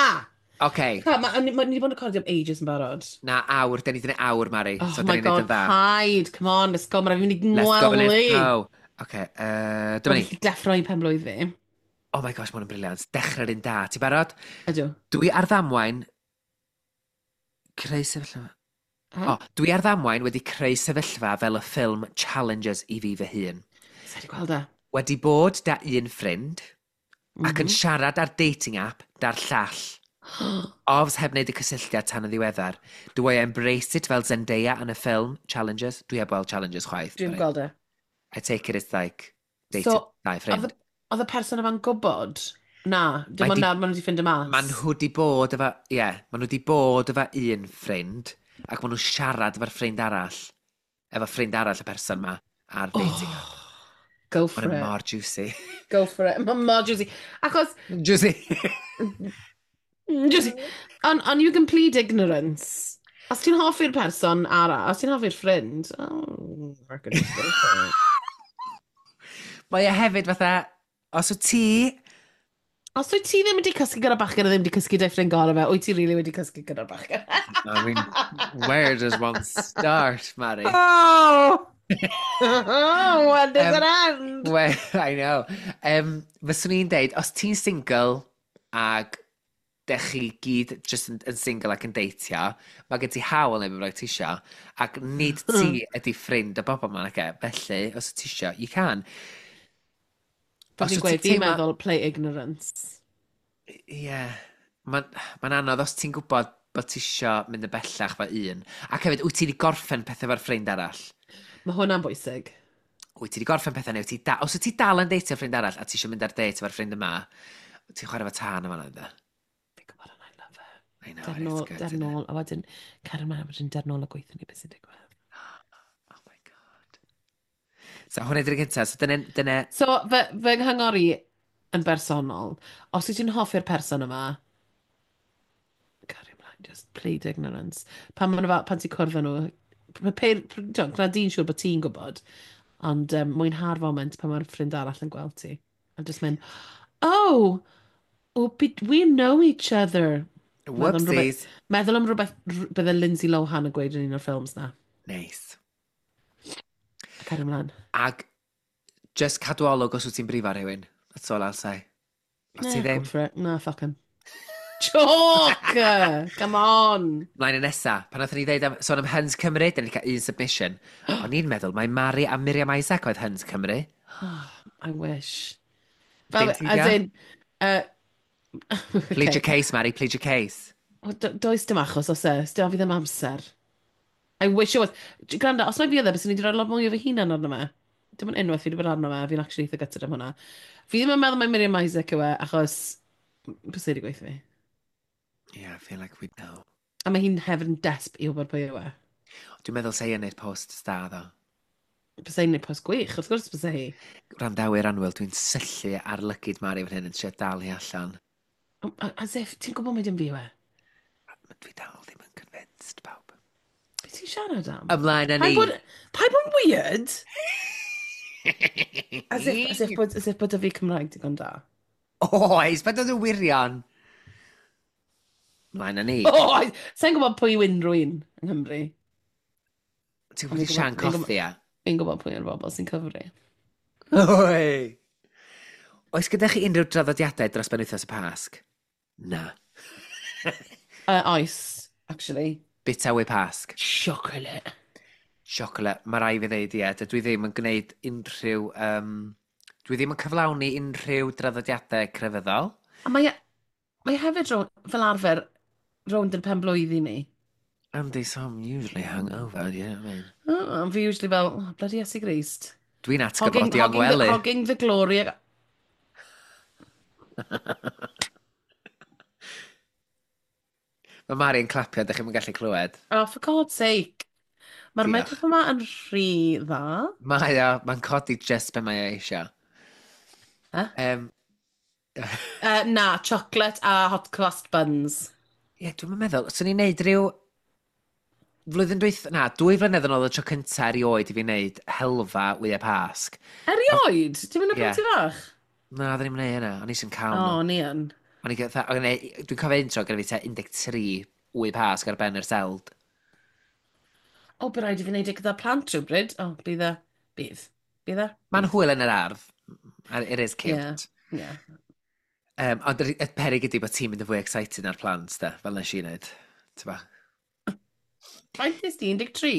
OK. Ma, ni wedi bod yn recordio am ages yn barod. Na, awr. Dyn ni wedi gwneud awr, Mari. Oh So my dyn ni'n neud God, yn dda. paid. Come on, let's go. Mae'n rhaid i fi mynd i Let's go, let's ngwely. go. OK, dyma ni. Mae'n deffro i pen blwydd fi. Oh my gosh, mae hwn yn brilliant. Dechrau'r un da. Ti barod? Ydw. Dwi ar ddamwain creu sefyllfa. Ha? O, dwi ar ddamwain wedi creu sefyllfa fel y ffilm Challengers i fi fy hun. Sa i 'di gweld e. Wedi bod da un ffrind ac yn siarad ar dating app da'r llall. Ofs heb wneud y cysylltiad tan y ddiweddar. Do I embrace it fel Zendaya yn y ffilm Challengers? Dwi heb weld Challengers chwaith. Dwi'n but gweld e. I take it it's like dated So, dau ffrind. Oedd y person yma'n gwybod? Na, dim Mae ond nawr maen nhw wedi ffindo mas. Maen nhw wedi bod efo, ie, yeah, maen nhw wedi bod efo un ffrind, ac maen nhw'n siarad efo'r ffrind arall, efo ffrind arall y person ma ar dating app. Go for Mae'n it. mor juicy. Go for it. Mae'n mor juicy. Achos, Juicy. Juicy. On you can plead ignorance. Os ti'n hoffi'r person arall, os ti'n hoffi'r ffrind, oh, I could just go for it. Mae e hefyd fatha, os wyt ti Os wyt ti ddim wedi cysgu gyda bachgen a ddim wedi cysgu 'da'i ffrind gorau fe, wyt ti really wedi cysgu gyda'r bachgen? I mean, where does one start, Mari? Oh! Oh, when does it end? Well, I know. Fyswn i'n deud, os ti'n single ag Dech chi gyd just yn single ac yn deitio, mae gen ti hawl neu beth bynnag ti isio, ac nid ti ydi ffrind y bobl yma, nage. Felly, os ti isio, you can. Fel Os fi'n wyt ti'n gweud, fi'n teimlo meddwl play ignorance. Ie. Yeah. Mae'n ma anodd os ti'n gwybod bod ti isio mynd yn bellach fo un. Ac hefyd, wyt ti wedi gorffen pethau efo'r ffrind arall? Mae hwnna'n bwysig. Wyt ti wedi gorffen pethau neu wyt ti da... Os wyt ti dal yn deitio ffrind arall a ti eisiau mynd ar date efo'r ffrind yma, ti'n chwarae fo tân yma ynddo? Fi'n gwybod and I love it. I know, Der it's nôl, good, der isn't it? nôl, a wedyn, cario ymlaen, a wedyn der nôl a gweithio ni beth sy'n digwydd. Oh my God. So hwnna ydy'r gyntaf. So dyna. So, fy nghyngor i yn bersonol, os wyt ti'n hoffi'r person yma, cario ymlaen, just plead ignorance. Pan, ma' nhw fel, pan ti'n cwrdd â nhw, gwna di'n siŵr bod ti'n gwybod, ond mwynha'r foment pan mae'r ffrind arall yn gweld ti. A just mynd, Oh, but we know each other." Meddwl am rhywbeth, Whoopsies. meddwl am rhywbeth bydde Lindsay Lohan yn gweud yn un o'r ffilms na. Nice. A cario ymlaen. Ag just cadw olwg os wyt ti'n brifo rhywun. That's all I'll say. Os ti Nah, ddim, go for it. Na, fuck him. Joke! Come on! Mlaen y nesa, pan nathon ni ddeud am, sôn am Huns Cymru, da ni wedi cael un submission. O'n i'n meddwl, mae Mari a Miriam Isaac oedd Huns Cymru. I wish. Dim Fel, ti as di? in, Plead your okay. case, Mari, plead your case. Wel, does dim achos os e, dim fi ddim amser. I wish it was. Gwrando, os mae fi oedd e, byswn i wedi rhoi lot mwy o fy hunan arno fe. Dim ond unwaith fi wedi bod arno fe, fi'n actually eitha gutted am hwnna. Fi ddim yn meddwl mai Miriam Isaac yw e, achos bys wedi gweithio fi. Yeah, I feel like we know. A mae hi'n hefyd yn desp i wybod pwy yw e. Dwi'n meddwl sa'i yn neud post da, ddo. Bysa hi'n neud post gwych, wrth gwrs bysa hi. Gwrandawyr annwyl, dwi'n syllu ar lygid Mari fan hyn yn trio dal hi allan. As if, ti'n gwybod mai dim fi yw e? Dwi dal ddim yn convinced, pawb. Be ti'n siarad am? Ymlaen â Paid ni. bod, paid bod yn weird? As if bod y fi Cymraeg digon da. Oes, paid oedd yn wirion. Ymlaen â ni. Oh, sa'n gwybod pwy yw unrhyw un yng Nghymru. Ti'n Ond gwybod fi'n Sian gwybod, fi'n gwybod, Cothi, a? fi'n gwybod pwy yw'r bobl sy'n cyfri. Oi! Oes gyda chi unrhyw draddodiadau dros benwythnos y Pasg? Na. Oes, actually. Bita wy Pasg. Chocolate. Chocolate. Mae rai fi ddeud, ie. Dydw i ddim yn gwneud unrhyw... Dwi ddim yn cyflawni unrhyw draddodiadau crefyddol. A mae hefyd fel arfer rownd yn pen blwydd i ni. Andy, so I'm usually hungover, you know what I mean? Oh, fi usually fel, oh, bloody Iesu Grist. Dwi'n Hogging, atgyfodi o'n hogging, the, gwely. hogging the glory. Mae Mari yn clapio, ydych chi'n gallu clywed. Oh, for God's sake. Mae'r Diolch. microphone yma yn rhy dda. Mae o, mae'n codi just be mae o eisiau. Huh? Na, chocolate a hot cross buns. Ie, dwi'n meddwl, swn i'n neud rhyw... Flwyddyn dwyth... Na, 2 flynedd yn ôl y tro cynta erioed i fi wneud helfa wyau Pasg. Erioed? Ti'n mynd o Ie. pan ti fach? Na, oedden ni'n gwneud hynna, o'n i eisiau cael O, nhw. ni yn. O'n i gyda, dwi'n cofio un tro gyda fi tua 13 wy Pasg ar ben yr seld. O, bydd rhaid i fi wneud e gyda plant rhywbryd. O, bydd e. Bydd. Bydd e? Mae'n Bydd. hwyl yn yr ardd. It is Ie, cute. ie. Ond y peryg ydi bod ti'n mynd yn fwy excited na'r plant, de, fel nes i wneud. T'bo? Faint nes di? 13?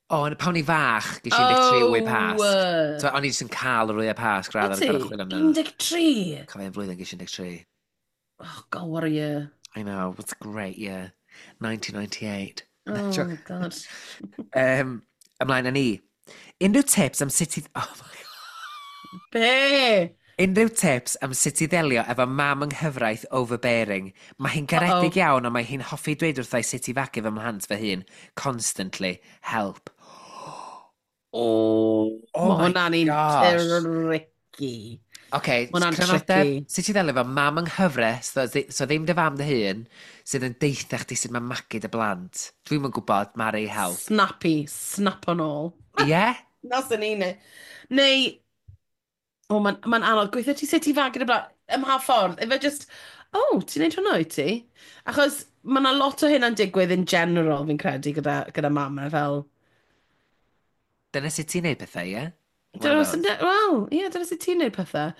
O, ond pan o'n i fach, ges i 13 wy Pasg. So, o'n i jyst yn cael yr wyau Pasg O rather ti? than gorfod chwilio amdano. 13? Cofio un flwyddyn ges i 13. Oh, God, what a year. I know, it's a great year. 1998. Oh, Joke. God. Ymlaen â ni. Unrhyw tips am sut i... Oh my God. Be? Unrhyw tips am sut i ddelio efo mam yng nghyfraith overbearing. Mae hi'n garedig Uh-oh. iawn, ond mae hi'n hoffi dweud wrtha i sut i fagu fy mhlant fy hun. Constantly. Help. Oh, Oh mae my hwnna'n un gosh. tricky. Oce, Ma' hwnna'n crynodeb, tricky. sut i ddelio efo mam yng nghyfraith, so ddim dy fam dy hun, sydd yn deitha chdi sut mae magu dy blant. Dwi'm yn gwybod, Mari, help. Snappy, snap on all. Ie? Yeah? Na sy'n un. Neu, o, mae'n ma anodd. Gweithio ti sut i fagu dy blant, ym mha ffordd? Efe just, oh, ti'n neud hwnna wyt ti? Achos mae yna lot o hynna'n digwydd in general, fi'n credu, gyda mamau fel. Dyna sut ti'n neud pethau, ie? One Dyna of sy'n those. Wel, ie, dyna sut ti'n neud pethau.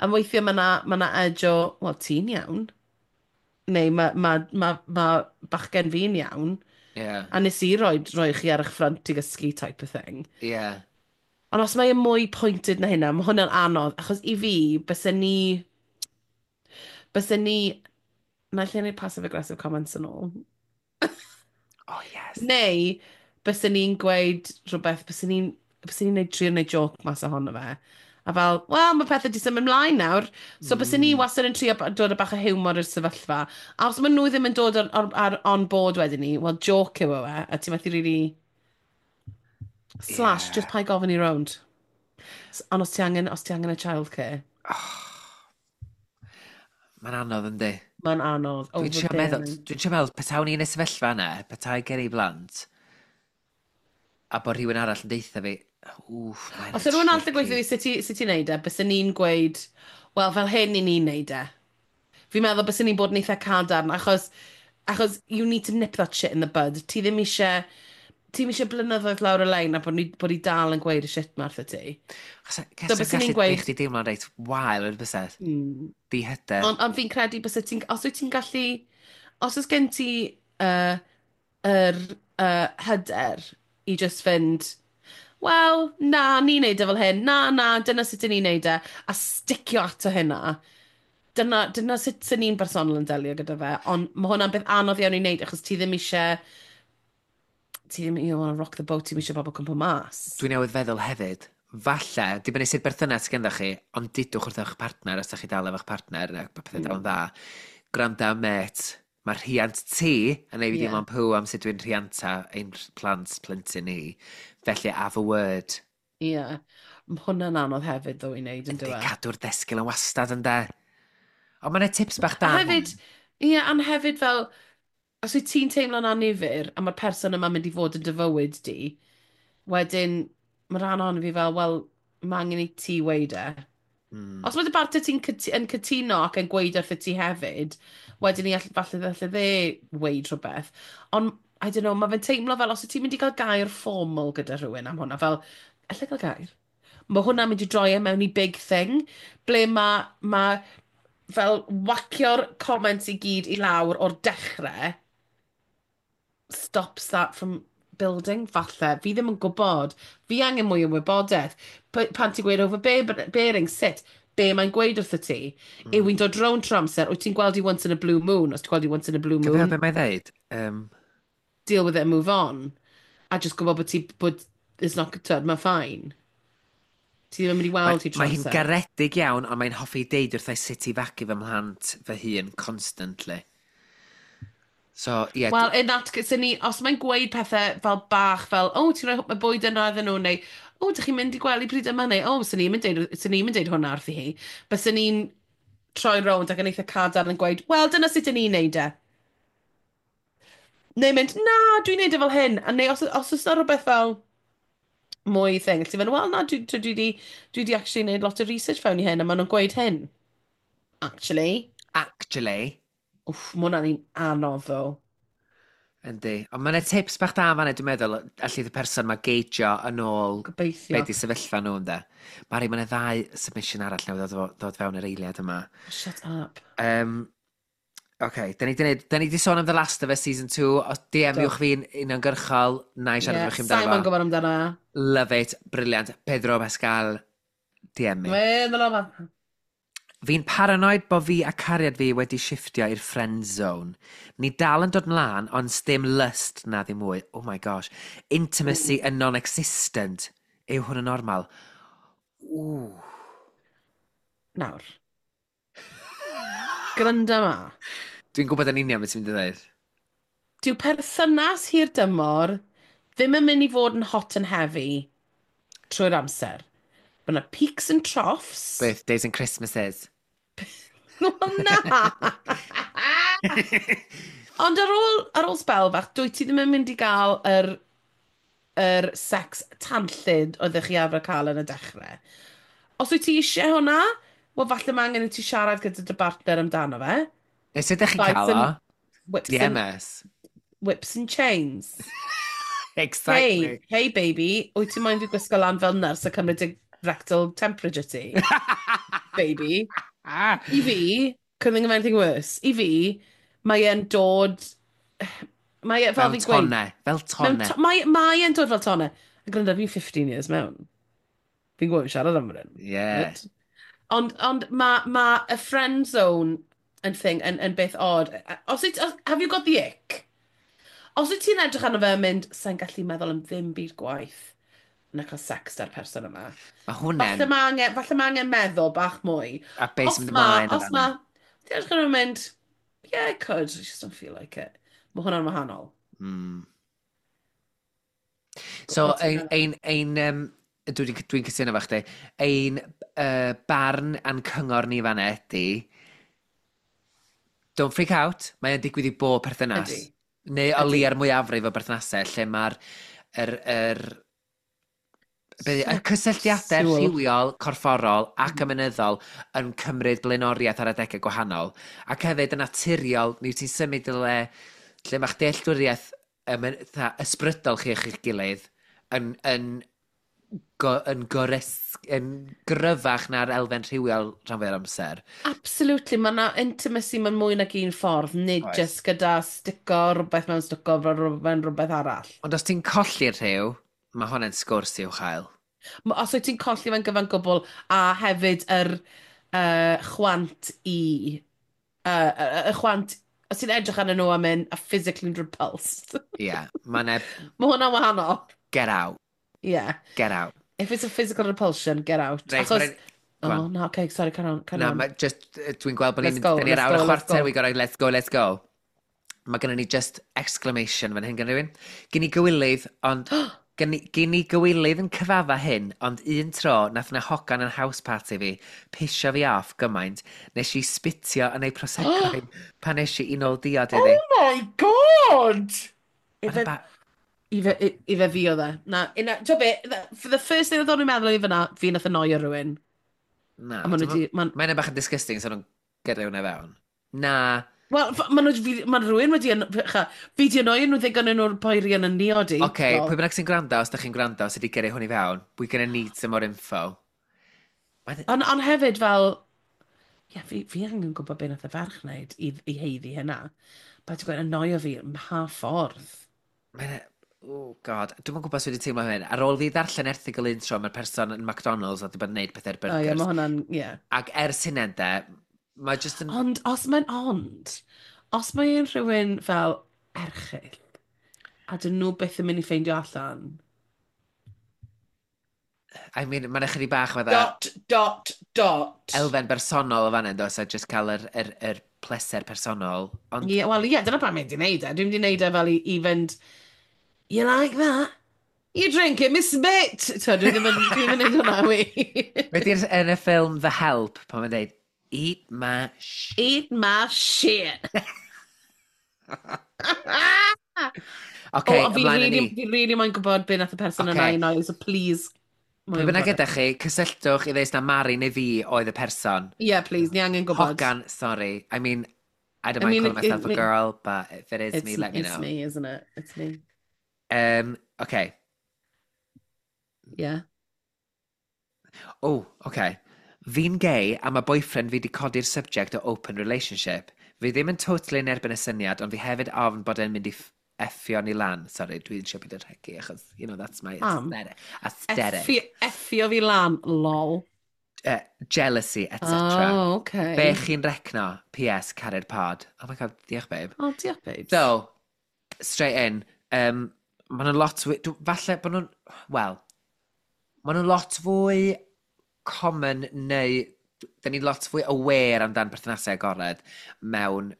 A weithiau mae yna ma edge o, wel, ti'n iawn. Neu mae ma, ma, ma bachgen fi'n iawn. A nes i roi chi ar eich ffrant i gysgu type of thing. Ond os mae e mwy pointed na hynna, mae hwnna'n anodd, achos i fi, byse ni, na lle wneud passive-aggressive comments yn ôl. Oh, yes. Neu, byse ni'n gweud rhywbeth, byse ni'n neud trio neud joke mas ohono fe. A fel, wel, mae pethau di symud ymlaen nawr. So byse ni wastad yn trio dod â bach o hiwmor i'r sefyllfa. A os maen nhw ddim yn dod ar on board wedyn ni, wel, joke yw e, a ti'n methu really. Slash, just paid gofyn i rownd. Ond os ti angen y childcare, Mae'n anodd, yndi? Mae'n anodd. Dwi'n trio meddwl, dwi'n trio meddwl, petawn i yn y sefyllfa yna, petai gen i blant, a bod rhywun arall yn deutha fi, wff, mae'n Os yw rhywun arall yn gweithio fi sut ti'n neud e, bysen ni'n gweud, wel, fel hyn i ni'n neud e. Fi'n meddwl bysen ni'n bod yn eitha cadarn, achos you need to nip that shit in the bud. Ti ddim eisiau blynyddoedd lawr y lein a bod ni dal yn gweud y shit ma wrtho ti. So, So bysen ni'n gweud- Chdi deimlo'n reit wael yn bysedd. Di-hyder. Ond fi'n credu byse ti'n, os wyt ti'n gallu, os oes gen ti yr hyder i just fynd, wel, na, ni'n neud e fel hyn, na, na, dyna sut ni'n neud e, a sticio ato hynna. Dyna sut sy'n ni'n bersonol yn delio gyda fe, ond mae hwnna'n beth anodd iawn i wneud, achos ti ddim eisiau, ti ddim, you wanna rock the boat, ti ddim eisiau bobl cwmpo mas. Dwi newydd feddwl hefyd, falle, dibynnu sut berthynas ganddo chi, ond dudwch wrth eich partner os ydych chi dal efo'ch partner, ac bod pethau dal yn dda. Gwranda, met, mae rhiant ti yn ei fi deimlo'n pw am sut dwi'n rhianta ein plant plentyn ni. Felly, have a word. Ie. Yeah. Mae hwnna'n anodd hefyd, ddo, i wneud, yn Yndi, dyw e? Cadw'r desgil yn wastad, ynde. Ond mae'n tips bach da. A hefyd, ie, yeah, ond hefyd fel, os wyt ti'n teimlo'n annifyr, a mae'r person yma'n mynd i fod yn dy fywyd di, wedyn, mae rhan ohono fi fel, wel, mae angen i ti weud e. Os mae dy bartner ti'n yn cytuno ac yn gweud wrtho ti hefyd, wedyn ni falle dde weud rhywbeth. Ond, I don't know, mae fe'n teimlo fel os wyt ti'n mynd i gael gair formal gyda rhywun am hwnna, fel, allai gael gair? Mae hwnna'n mynd i droi e mewn i big thing, ble mae fel whacio'r comments i gyd i lawr o'r dechrau stops that from building, falle. Fi ddim yn gwybod. Fi angen mwy o wybodaeth. Pan ti'n gweud overbearing, sut? Be mae'n gweud wrtho ti? Yw hi'n dod rownd trwy amser? Wyt ti'n gweld i once in a blue moon? Os ti'n gweld i once in a blue Cofio moon, be mae'n dweud? Deal with it and move on. A just gwybod bod ti, bod it's not, good, mae'n fine. Ti ddim yn mynd i weld hi trwy Mae hi'n amser. garedig iawn, ond mae'n hoffi deud wrthai sut i fagu fy mhlant fy hun constantly. So, ie. Yeah, Wel, in that case, ni, os mae'n gweud pethau fel bach, fel, o, oh, ti'n rhoi y bwyd yna iddyn nhw, neu, o, oh, dych chi'n mynd i gwely pryd yma, neu, o, oh, swn i'n mynd deud hwnna wrthi hi. Byswn ni'n troi rownd ac yn eitha cadarn yn gweud, wel, dyna sut ydyn ni'n neud e. Neu mynd, na, dwi'n neud e fel hyn. A neu os oes na rhywbeth fel mwy thing, ti'n mynd, wel, na, dwi di actually neud lot o research fewn i hyn, a maen nhw'n gweud hyn. Actually. Actually. Wff, mae hwnna'n un anodd, ddo. Yndi. Ond mae'n tips bach da fan'na, dwi'n meddwl, allith y person ma geijio yn ôl Gobeithio. be di sefyllfa nhw, ynde. Mari, mae'n ddau submission arall newydd ddod fewn yr eiliad yma. Shut up. OK, da ni di sôn am The Last of Us Season 2. Os DM-iwch fi'n uniongyrchol, na i siarad efo chi amdano Simon fo. gwybod amdano. Love it, brilliant. Pedro Pascal, DM me. Meddwl o. Fi'n paranoid bo fi a cariad fi wedi shiftio i'r friend zone. Ni dal yn dod mlaen, ond sdim lust na ddim mwy. Oh my gosh. Intimacy yn non-existent. Yw hwn yn normal? Ooh. Nawr. Gwranda ma. Dwi'n gwybod yn union beth ti'n mynd i ddweud. Dyw perthynas hir dymor ddim yn mynd i fod yn hot and heavy trwy'r amser. Mae yna peaks and troughs. Birthdays and Christmases. Wel, na! Ond ar ôl sbel bach, dwi ti ddim yn mynd i gael yr sex tanllyd oeddech chi arfer cael yn y dechrau. Os wyt ti eisiau hwnna, wel falle mae angen i ti siarad gyda dy bartner amdano fe. Neu sut ydych chi'n Bites cael o? And, whips, and, DMS. whips and chains. Exactly. Hey, hey baby, wyt ti'n moyn fi gwisgo lan fel nyrs a cymryd dy rectal temperature ti? Baby. Ah. I fi, couldn't think of anything worse. I fi, Mae e'n dod... Mae e, fel Fel fi'n gweud... tonne, fel Mewn tonne. to mae e'n dod fel tonne. A gwrando, fi'n 15 years mewn. Fi'n gwybod siarad am hyn. Yeah. Right? Ond ma y friend zone yn thing, yn beth odd. Os wyt, os, have you got the ick? Os wyt ti'n edrych arno fe yn mynd, sa'n gallu meddwl am ddim byd gwaith na cael sex da'r person yma. Mae hwnna'n... Falle ma angen meddwl bach mwy. A beth Os sy'n mynd ma, ymlaen os ma, ti'n edrych arno fe yn mynd, yeah, I could, I just don't feel like it. Mae hwnna'n wahanol. So, Be ti'n dwi'n cytuno efo chdi, ein barn a'n cyngor ni fan'na ydi, don't freak out, mae o'n digwydd i bob perthynas. Ydi. Neu o Ydi. leia'r mwyafrif o berthnasau, lle mae'r y cysylltiadau Sexual. rhywiol, corfforol ac ymenyddol yn cymryd blaenoriaeth ar adegau gwahanol. Ac hefyd yn naturiol, mi wyt ti'n symud i le lle mae'ch dealltwriaeth fatha ysbrydol chi a'ch gilydd yn gryfach na'r elfen rhywiol rhan fwy'r amser. Absolutely, mae yna intimacy mewn mwy nag un ffordd, nid Oes. just gyda stico rhywbeth mewn stico mewn rhywbeth arall. Ond os ti'n colli'r rhyw, mae hwnna'n sgwrs i'w chael. Os wyt ti'n colli fe'n gyfan gwbl, a hefyd yr chwant i... y chwant, os ti'n edrych arnyn nhw a mynd, a physically repulsed. Ie, yeah, mae'n Mae hwnna'n wahanol. Get out, Yeah. get out. If it's a physical repulsion, get out. Reit, Achos... Go on. Oh, no, okay, sorry, carry on, carry Na, on. ma, just, dwi'n gweld bod ni'n Let's go, dyn ni ar let's awr a go, let's chwarter, go. we gotta, let's go, let's go. Mae gennym ni just exclamation fan hyn gan rhywun. Gen i gywilydd, ond... Gen i gywilydd yn cyfadda hyn, ond un tro nath na hogan yn house party fi, pisio fi off gymaint, nes i spitio yn ei prosecco pan nes i nôl diod iddi. Oh my God! Mae'n Ife, ife fi oedd e. Na, una, ti'n be, for the first thing oedd o'n i'n meddwl i fyna, fi nath annoio rhywun. Na, A ma' nhw 'di- Mae'n bach yn disgusting, so nhw'n gyrru hwnna fewn. Na, Wel, ma' nhw, ma' rhywun wedi, fi di annoio nhw ddigon yn o'r poeri yn y niod i. Oce, okay, pwy bynnag sy'n gwrando, os da chi'n gwrando, sydd wedi gyrru hwn i fewn, we're gonna need some more info. Ond hefyd fel, ie, fi angen gwybod beth nath y ferch wneud i haeddu hynna. Paid ti'n gweud annoio fi ym mha ffordd. Mae'n... Oh God, dwi'm yn gwybod sut wedi teimlo hyn. Ar ôl fi ddarllen erthygl un tro, mae'r person yn McDonald's oedd wedi bod yn neud pethau'r O ie, burgers. mae hwnna'n, ie. Ac ers hynny, de, mae just yn... Ond os mae'n rhywun fel erchyll, a dyn nhw byth yn mynd i ffeindio allan. I mean, mae'n ychydig bach fatha Dot, dot, dot. elfen bersonol o fan hyn, does, a just cael yr pleser personol. Ond Ie, wel, ie, dyna pam mynd i wneud e. Dwi'n mynd i wneud e fel i fynd, you like that? You drink it, Miss Bit! So, dwi ddim yn, dwi ddim yn neud hwnna, wi. Be di'r yn y ffilm The Help, pan mae'n dweud, "Eat my sh..." Eat my shit. Oce, oh, fi ymlaen â really, ni. fi really moyn gwybod be nath y person yna Ocê. i noi, so please. Pwy bynnag ydych chi, cysylltwch i ddeud na Mari neu fi oedd y person. Yeah, please, ni angen gwybod. Hogan, sorry. I mean, I don't I mind mean, calling myself a girl, but if it is It's, me, let me it's know. me, isn't it? It's me. Okay. Yeah. Oh, okay. Fi'n gay a mae boyfriend fi wedi codi'r subject o open relationship. Fi ddim yn totally yn erbyn y syniad, ond fi hefyd ofn bod e'n mynd i effio ni lan. Sorry, dwi'n siarad byd yn rhegi, achos, that's my Pam? aesthetic. Aesthetic. Effio fi lan, lol. Jealousy, etc. Oh, okay. Be chi'n recno? PS, caru'r pod. Oh my God, diolch, babe. Oh, diolch, babes. So, straight in. Maen nhw'n lot fwy... Falle bod nhw'n... Wel, maen nhw'n lot fwy common neu... Da ni'n lot fwy aware amdan perthnasau agored mewn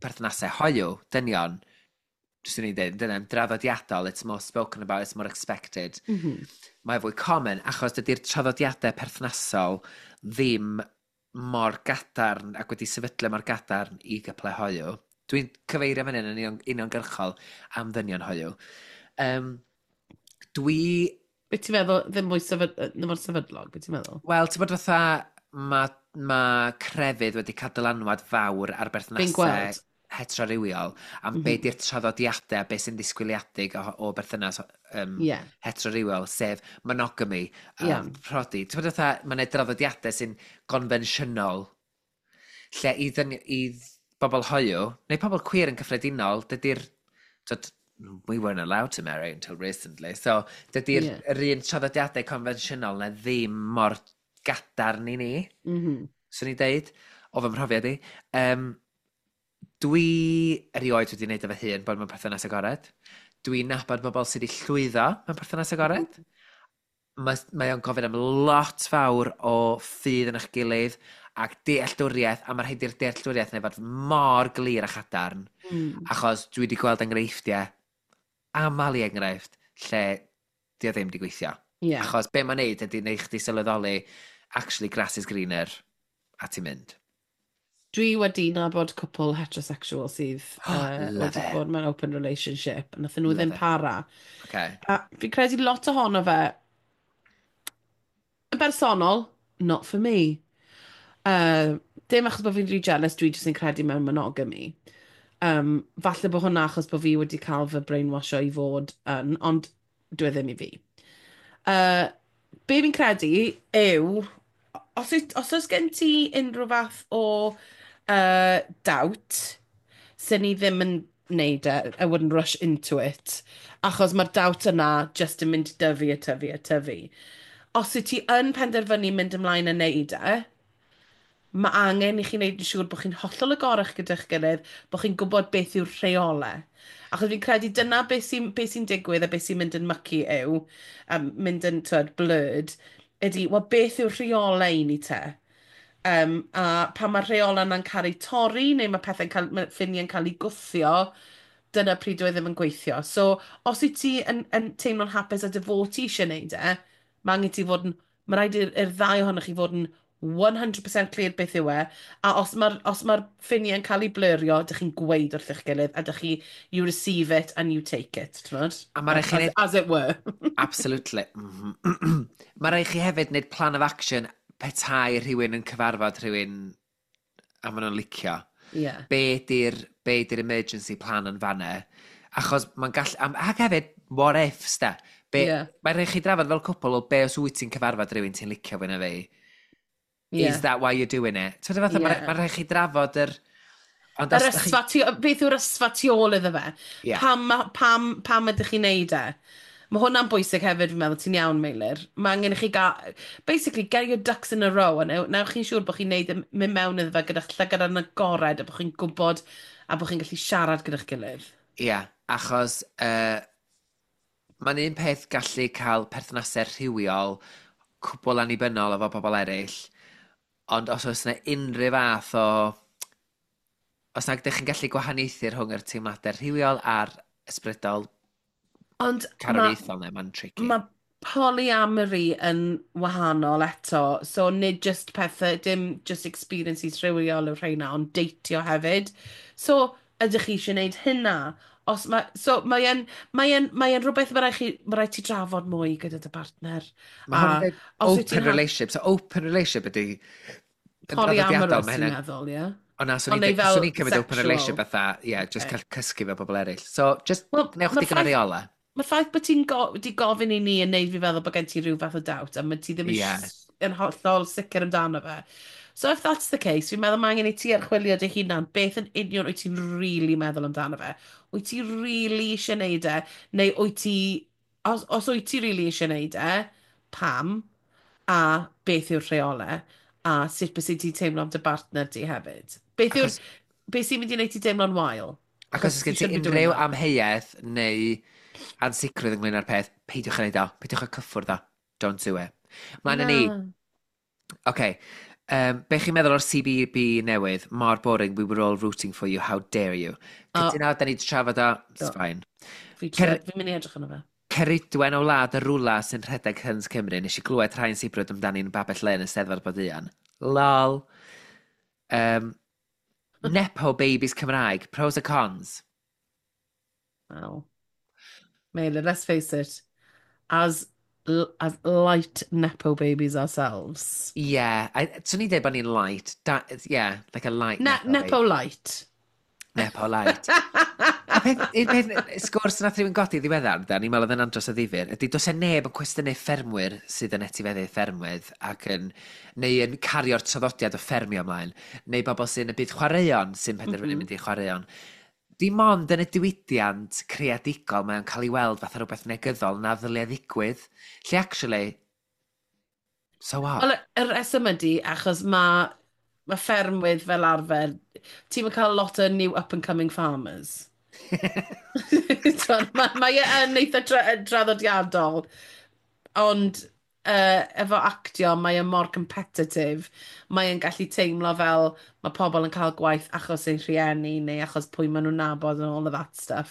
perthnasau hoyw, dynion. Jyst yn ei dweud, dyna, draddodiadol, it's more spoken about, it's more expected. Mae fwy common, achos dydy'r traddodiadau perthnasol ddim mor gadarn ac wedi sefydlu mor gadarn i gyplau hoyw. Dwi'n cyfeirio fan hyn yn uniongyrchol am ddynion hoyw. Dwi... Be ti'n meddwl, ddim mwy ddim mor sefydlog, be ti'n meddwl? Wel, ti'n bod fatha, ma crefydd wedi cael dylanwad fawr ar Fi'n berthnasau gweld. heterorywiol am be di'r traddodiadau, be sy'n ddisgwyliedig o berthynas heterorywiol, sef monogamy, prodi. Ti'n bod fatha, mae'n draddodiadau sy'n gonfensiynol, lle i Bobl hoiw, neu pobl queer yn cyffredinol, dydy'r... Tyd, we weren't allowed to marry until recently, so dydy'r yr un traddodiadau confensiynol na ddim mor gadarn i ni, swn i'n deud, o fy mhrofiad i. Dwi erioed wedi wneud efo hun bod mewn perthynas agored. Dwi'n nabod bobl sydd wedi llwyddo mewn perthynas agored. Mae o'n gofyn am lot fawr o ffydd yn eich gilydd ac dealltwriaeth, a mae rhaid i'r dealltwriaeth neu fod mor glir a chadarn, achos dwi wedi gweld enghreifftiau, aml i enghraifft, lle di o ddim wedi gweithio. Achos be mae'n neud ydy neud chdi sylweddoli, actually grass is greener, a ti'n mynd. Dwi wedi nabod cwpl heterosexual sydd Love wedi it. bod mewn open relationship, a nathon nhw Love ddim it. para. A fi'n credu lot ohono fe, yn bersonol, not for me. Dim achos bod fi'n rhy jealous, dwi jyst yn credu mewn monogamy. Falle bod hwnna achos bod fi wedi cael fy brainwasho i fod yn, ond dwi e ddim i fi. Be fi'n credu yw, os oes gen ti unrhyw fath o doubt, sy'n ni ddim yn neud e, I wouldn't rush into it, achos mae'r doubt yna just yn mynd i dyfu a tyfu a tyfu. Os wyt ti yn penderfynu mynd ymlaen a neud e, mae angen i chi wneud yn siŵr bod chi'n hollol agorach gyda'ch gilydd, bod chi'n gwybod beth yw'r rheolau. Achos fi'n credu dyna beth sy'n digwydd a beth sy'n mynd yn mucky yw, mynd yn twyd, blurred, ydy, wel, beth yw'r rheolau i ni te? A pan mae'r rheolau yna'n cael eu torri, neu mae pethau'n cael, mae ffiniau'n cael eu gwthio, dyna pryd dwi e ddim yn gweithio. So, os wyt ti yn teimlo'n hapus a dy fod ti eisiau gwneud e, mae angen ti fod yn, mae rhaid i'r ddau ohonoch chi fod yn 100% clear beth yw e, a os mae'r ffiniau'n cael eu blurrio, dych chi'n gweud wrth eich gilydd, a dych chi, you receive it and you take it, t'mod? A ma' raid chi As it were. Absolutely. Mae rhaid chi hefyd wneud plan of action petai rhywun yn cyfarfod rhywun a maen nhw'n licio. Be di'r emergency plan yn fanna? Achos mae'n gall... Ac hefyd, what ifs, da. Be, Mae'n rhaid chi drafod fel cwpl o be os wyt ti'n cyfarfod rhywun ti'n licio fwy na fi. Is that why you're doing it? Ti'n fatha, mae rhaid chi drafod yr... Ond Yr os dach chi- ysfa tu, beth yw'r ysfa tu ôl iddo fe? Ie. Pam ydych chi'n neud e? Mae hwnna'n bwysig hefyd, fi'n meddwl, ti'n iawn, Meilir. Mae angen i chi gael... Basically, get your ducks in a row, a newch chi'n siŵr bod chi'n neud mynd mewn iddo fe gyda'ch llygad yn agored, a bod chi'n gwybod, a bod chi'n gallu siarad gyda'ch gilydd. Ie, achos mae'n un peth gallu cael perthnasau rhywiol cwbl annibynnol efo pobl eraill, ond os oes yna unrhyw fath o... Os nag ydych chi'n gallu gwahaniaethu rhwng yr teimladau rhywiol a'r ysbrydol Ond mae carwriaethol neu mae'n tricky. ma polyamory yn wahanol eto, so nid just pethau, dim just experiences rhywiol yw'r rheina, ond deitio hefyd. So, ydych chi eisiau gwneud hynna? Os ma, so, mae rhywbeth mae rhaid ti drafod mwy gyda dy partner. Mae hwn yn deud os wyt ti'n open relationship. So open relationship ydy... yn Polyamorous, draddodiadol, mae ti'n hynna'n meddwl, ie? O na, swn Ond neu i'n fel swn i'n cymryd open sexual. relationship fatha, ie, yeah, just cael cysgu efo bobl eraill. So, just Wel, newch ma'r digon o reola. Mae'r ffaith bod ti'n di gofyn i ni yn neud fi feddwl bod gen ti rhyw fath o doubt, a mae ti ddim yn yn hollol sicr amdano fe. So if that's the case, fi'n meddwl mae angen i ti archwilio dy hunan beth yn union wyt ti'n really meddwl amdano fe. Wyt ti really eisiau neud e, neu wyt ti, os wyt ti really eisiau neud e, pam, a beth yw'r rheolau, a sut bys ti'n teimlo am dy bartner di hefyd. Beth yw'r, beth sy'n mynd i wneud ti teimlo'n wael? Ac os oes gen you ti shouldn't be doing unrhyw that. amheuaeth neu ansicrwydd ynglyn â'r peth, peidiwch â neud o. Peidiwch â cyffwrdd o. Don't do it. Mlaen â ni. Na. OK. Be chi'n meddwl o'r CBB newydd? Mor boring, we were all rooting for you, how dare you. O. Cytuno, da ni wedi trafod o, it's Do. fine. Fi'n mynd i edrych arno fe. Ceridwen o wlad y rwla sy'n rhedeg Hyns Cymru, nes i glywed rhai'n sibrwd amdani'n babell len yn Steddfod bod ian. Lol. Nepo babies Cymraeg, pros and cons. Well, Meilir, let's face it, as light nepo babies ourselves. Yeah, swn i'n dweud bod ni'n light. Da, yeah, like a light Ne nepo nepo baby. light. Nepo light. A Peth, un peth, sgwrs nath rhywun godi ddiweddar, da, ni'n meddwl oedd yn andros o ddifyr, ydy does e neb yn cwestiynu ffermwyr sydd yn etifeddu ffermwydd ac yn, neu yn cario'r traddodiad o ffermio ymlaen, neu bobl sy'n y byd chwaraeon sy'n penderfynu mynd i chwaraeon. Dim ond yn y diwydiant creadigol mae o'n cael ei weld fatha rhywbeth negyddol na ddylia ddigwydd. Lle actually, so what? Wel, y rheswm ydy, achos mae ffermwydd fel arfer, ti'n cael lot o new up-and-coming farmers. T'mod, mae e yn eitha draddodiadol, ond efo actio mae e mor competitive, mae e'n gallu teimlo fel mae pobl yn cael gwaith achos eu rhieni neu achos pwy maen nhw'n nabod and all of that stuff.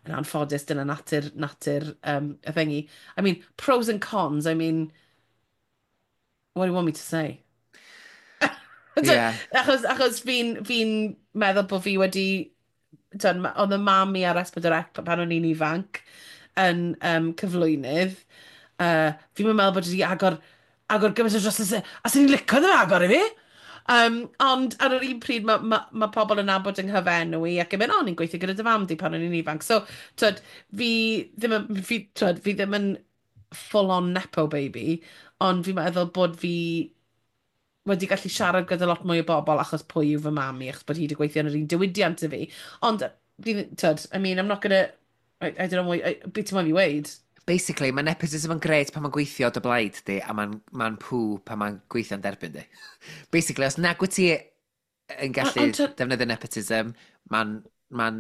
Yn anffodus, dyna natur y thingy. I mean, pros and cons, I mean, what do you want me to say? Achos fi meddwl bod fi wedi... Dyn, oedd y mam i ar S4C pan o'n i'n ifanc yn cyflwynydd. Fi'n meddwl bod wedi agor gymaint o dros a sy'n ni'n licio ddim agor i fi. Ond ar yr un pryd mae pobl yn nabod yng nghyfenw i ac yn mynd, "O, ni'n gweithio gyda dy fam di pan o'n i'n ifanc." So, twyd, twyd, fi ddim yn full-on nepo baby, ond fi'n meddwl bod fi wedi gallu siarad gyda lot mwy o bobl achos pwy yw fy mam i, achos bod hi wedi gweithio yn yr un diwydiant i fi. Ond, fi, twyd, I mean, I'm not gonna... I don't know what, beth ti'n moyn fi weud? Basically, mae nepotism yn gret pan mae'n gweithio dy blaid di, a mae'n ma pw pan mae'n gweithio'n derbyn di. Basically, os nag wyt ti yn gallu defnyddio nepotism, mae'n ma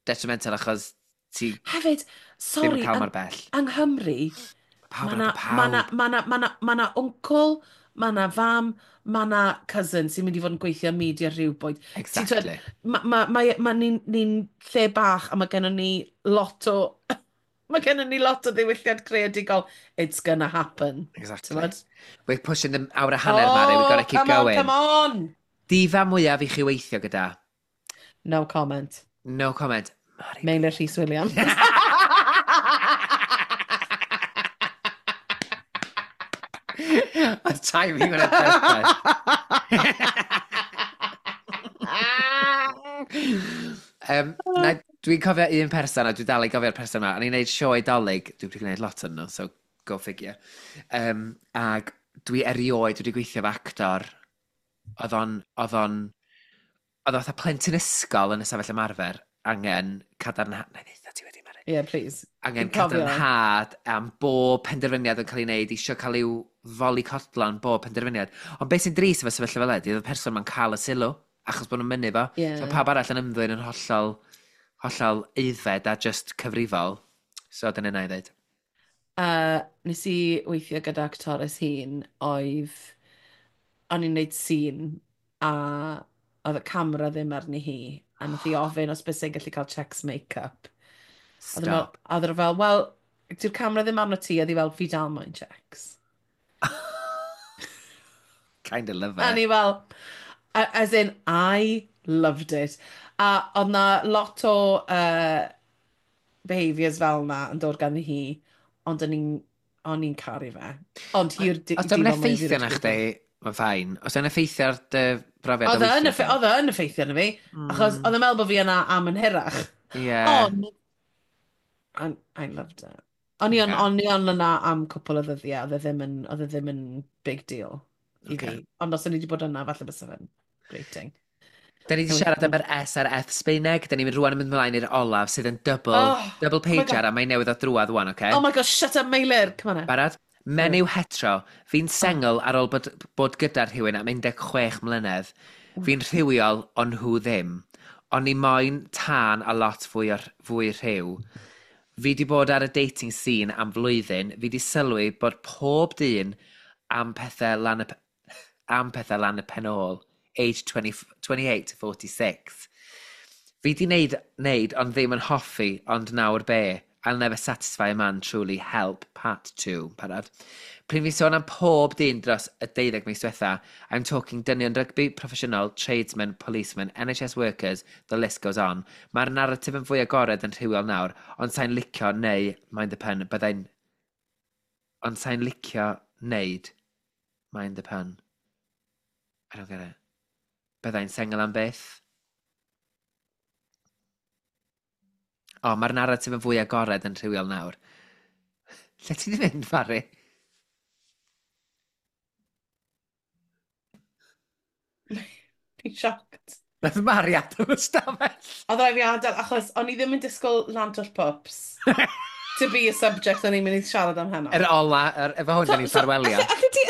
detrimental achos ti Hefyd, ddim sorry, yn cael mor bell. yng Nghymru, Pawb mae yn na, nabod ma na, pawb. ma na uncle, ma na fam, ma na cousin sy'n mynd i fod yn gweithio media rhywbwyd. Ma ni'n lle bach a mae gennym ni lot o ddiwylliant creadigol. It's gonna happen. Exactly. T'mod? We're pushing the awr a hanner, Mari. We've got to keep Come on, going. Come on! Difa mwyaf i chi weithio gyda? No comment. No comment. Mari. Meilir Rhys Williams. Oedd timing hwnna'n perffaith. Na, dwi'n cofio un person, a dwi dal i gofio'r person yma, o'n i'n neud sioe Dolig, dwi wedi gwneud lot yn nhw, so go figure. Ag dwi erioed wedi gweithio efo actor, oedd o fatha plentyn ysgol yn y safell ymarfer, angen cadarnhad, na i ddeutha ti wedi, Mari. Yeah, please. Angen Fi'n cofio. cadarnhad am bob penderfyniad yn cael ei wneud, isio cael i'w foli codlan bob penderfyniad. Ond beth sy'n drist efo sefyllfa fel ydy, oedd y person ma'n cael y sylw, achos bod nhw'n mynnu fo. So pawb arall yn ymddwyn yn hollol, hollol aeddfed a just cyfrifol. So dyna na i ddweud. Nes i weithio gyda actores hun oedd... O'n i'n neud scene a oedd y camera ddim arni hi. A nath hi ofyn os bys e'n gallu cael checks make-up. Oedd Stop. Oedd e fel, "Wel, dyw'r camera ddim arno ti," oedd hi fel, "Fi dal moyn checks." Kind of love A it. ni fel, as in, I loved it. A oedd na lot o behaviours fel na yn dod ganddi hi, ond o'n i'n caru fe. Ond hi'r Os dio'n effeithio na chdi, mae'n fine. Os dio'n effeithio ar dy brofiad o Oedd e yn weithio. oedd e yn effeithio arno fi, achos oedd e'n meddwl bod fi yna am yn hirach. Ond, I loved it. O'n i on yna am cwpl o ddyddiau, oedd e ddim yn big deal i fi. Ond os o'n i wedi bod yna, falle bysa fe'n grating. Da ni wedi siarad am yr S a'r F Sbeineg. Da ni'n mynd rwan yn mynd ymlaen i'r olaf sydd yn double, Oh, double oh my pager God. a mae'n newydd o drwad wan, oce? Oh my gosh, shut up, Meilir! Come on now. Barod? Menyw hetero. Fi'n sengl ar ôl bod gyda rhywun am 16 mlynedd. Fi'n rhywiol, ond nhw ddim. O'n i moyn tân a lot fwy rhyw. Fi di bod ar y dating scene am flwyddyn. Fi di sylwi bod pob dyn am pethau lan y pen ôl. Age 20, 28 to 46. Fi di neud, ond ddim yn hoffi, ond nawr be? I'll never satisfy a man truly. Help, part 2. Parad. Pryd fi sôn am pob dyn dros y 12 mis diwetha, I'm talking dynion rygbi, proffesiynol, tradesmen, policemen, NHS workers, the list goes on. Mae'r narratif yn fwy agored yn rhywiol nawr, ond sa'n licio neu, mind the pun, byddai'n... Ond sa'n licio neud, mind the pun. I don't get it. Byddai'n sengl am byth. O, oh, mae'r narratif yn fwy agored yn rhywiol nawr. Lle ti 'di fynd, Mari? Fi'n shocked. Nath Mari adael y stafell. Oedd rhaid fi adael, achos o'n i ddim yn disgwyl Lantwll Pups to be a subject o'n i'n mynd i siarad am heno. Yr ola, efo hwn, da ni'n ffarwelio. Allu ti,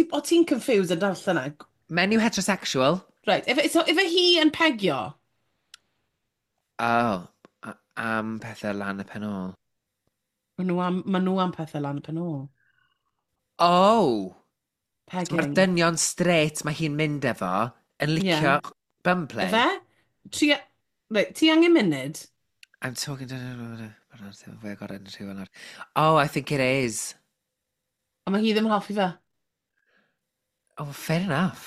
o ti'n confused yn darllen e? Menyw heterosexual. Right, so ife hi yn pegio? Oh, am pethau lan y pen ôl. Maen nhw am pethau lan y pen ôl. Oh! Pegging. Mae'r dynion straight mae hi'n mynd efo yn licio bum play. Ife? Right, ti angen munud? I'm talking to... Fwy agored yn rhywun nawr. Oh, I think it is. A mae hi ddim yn hoffi fe. Oh, fair enough.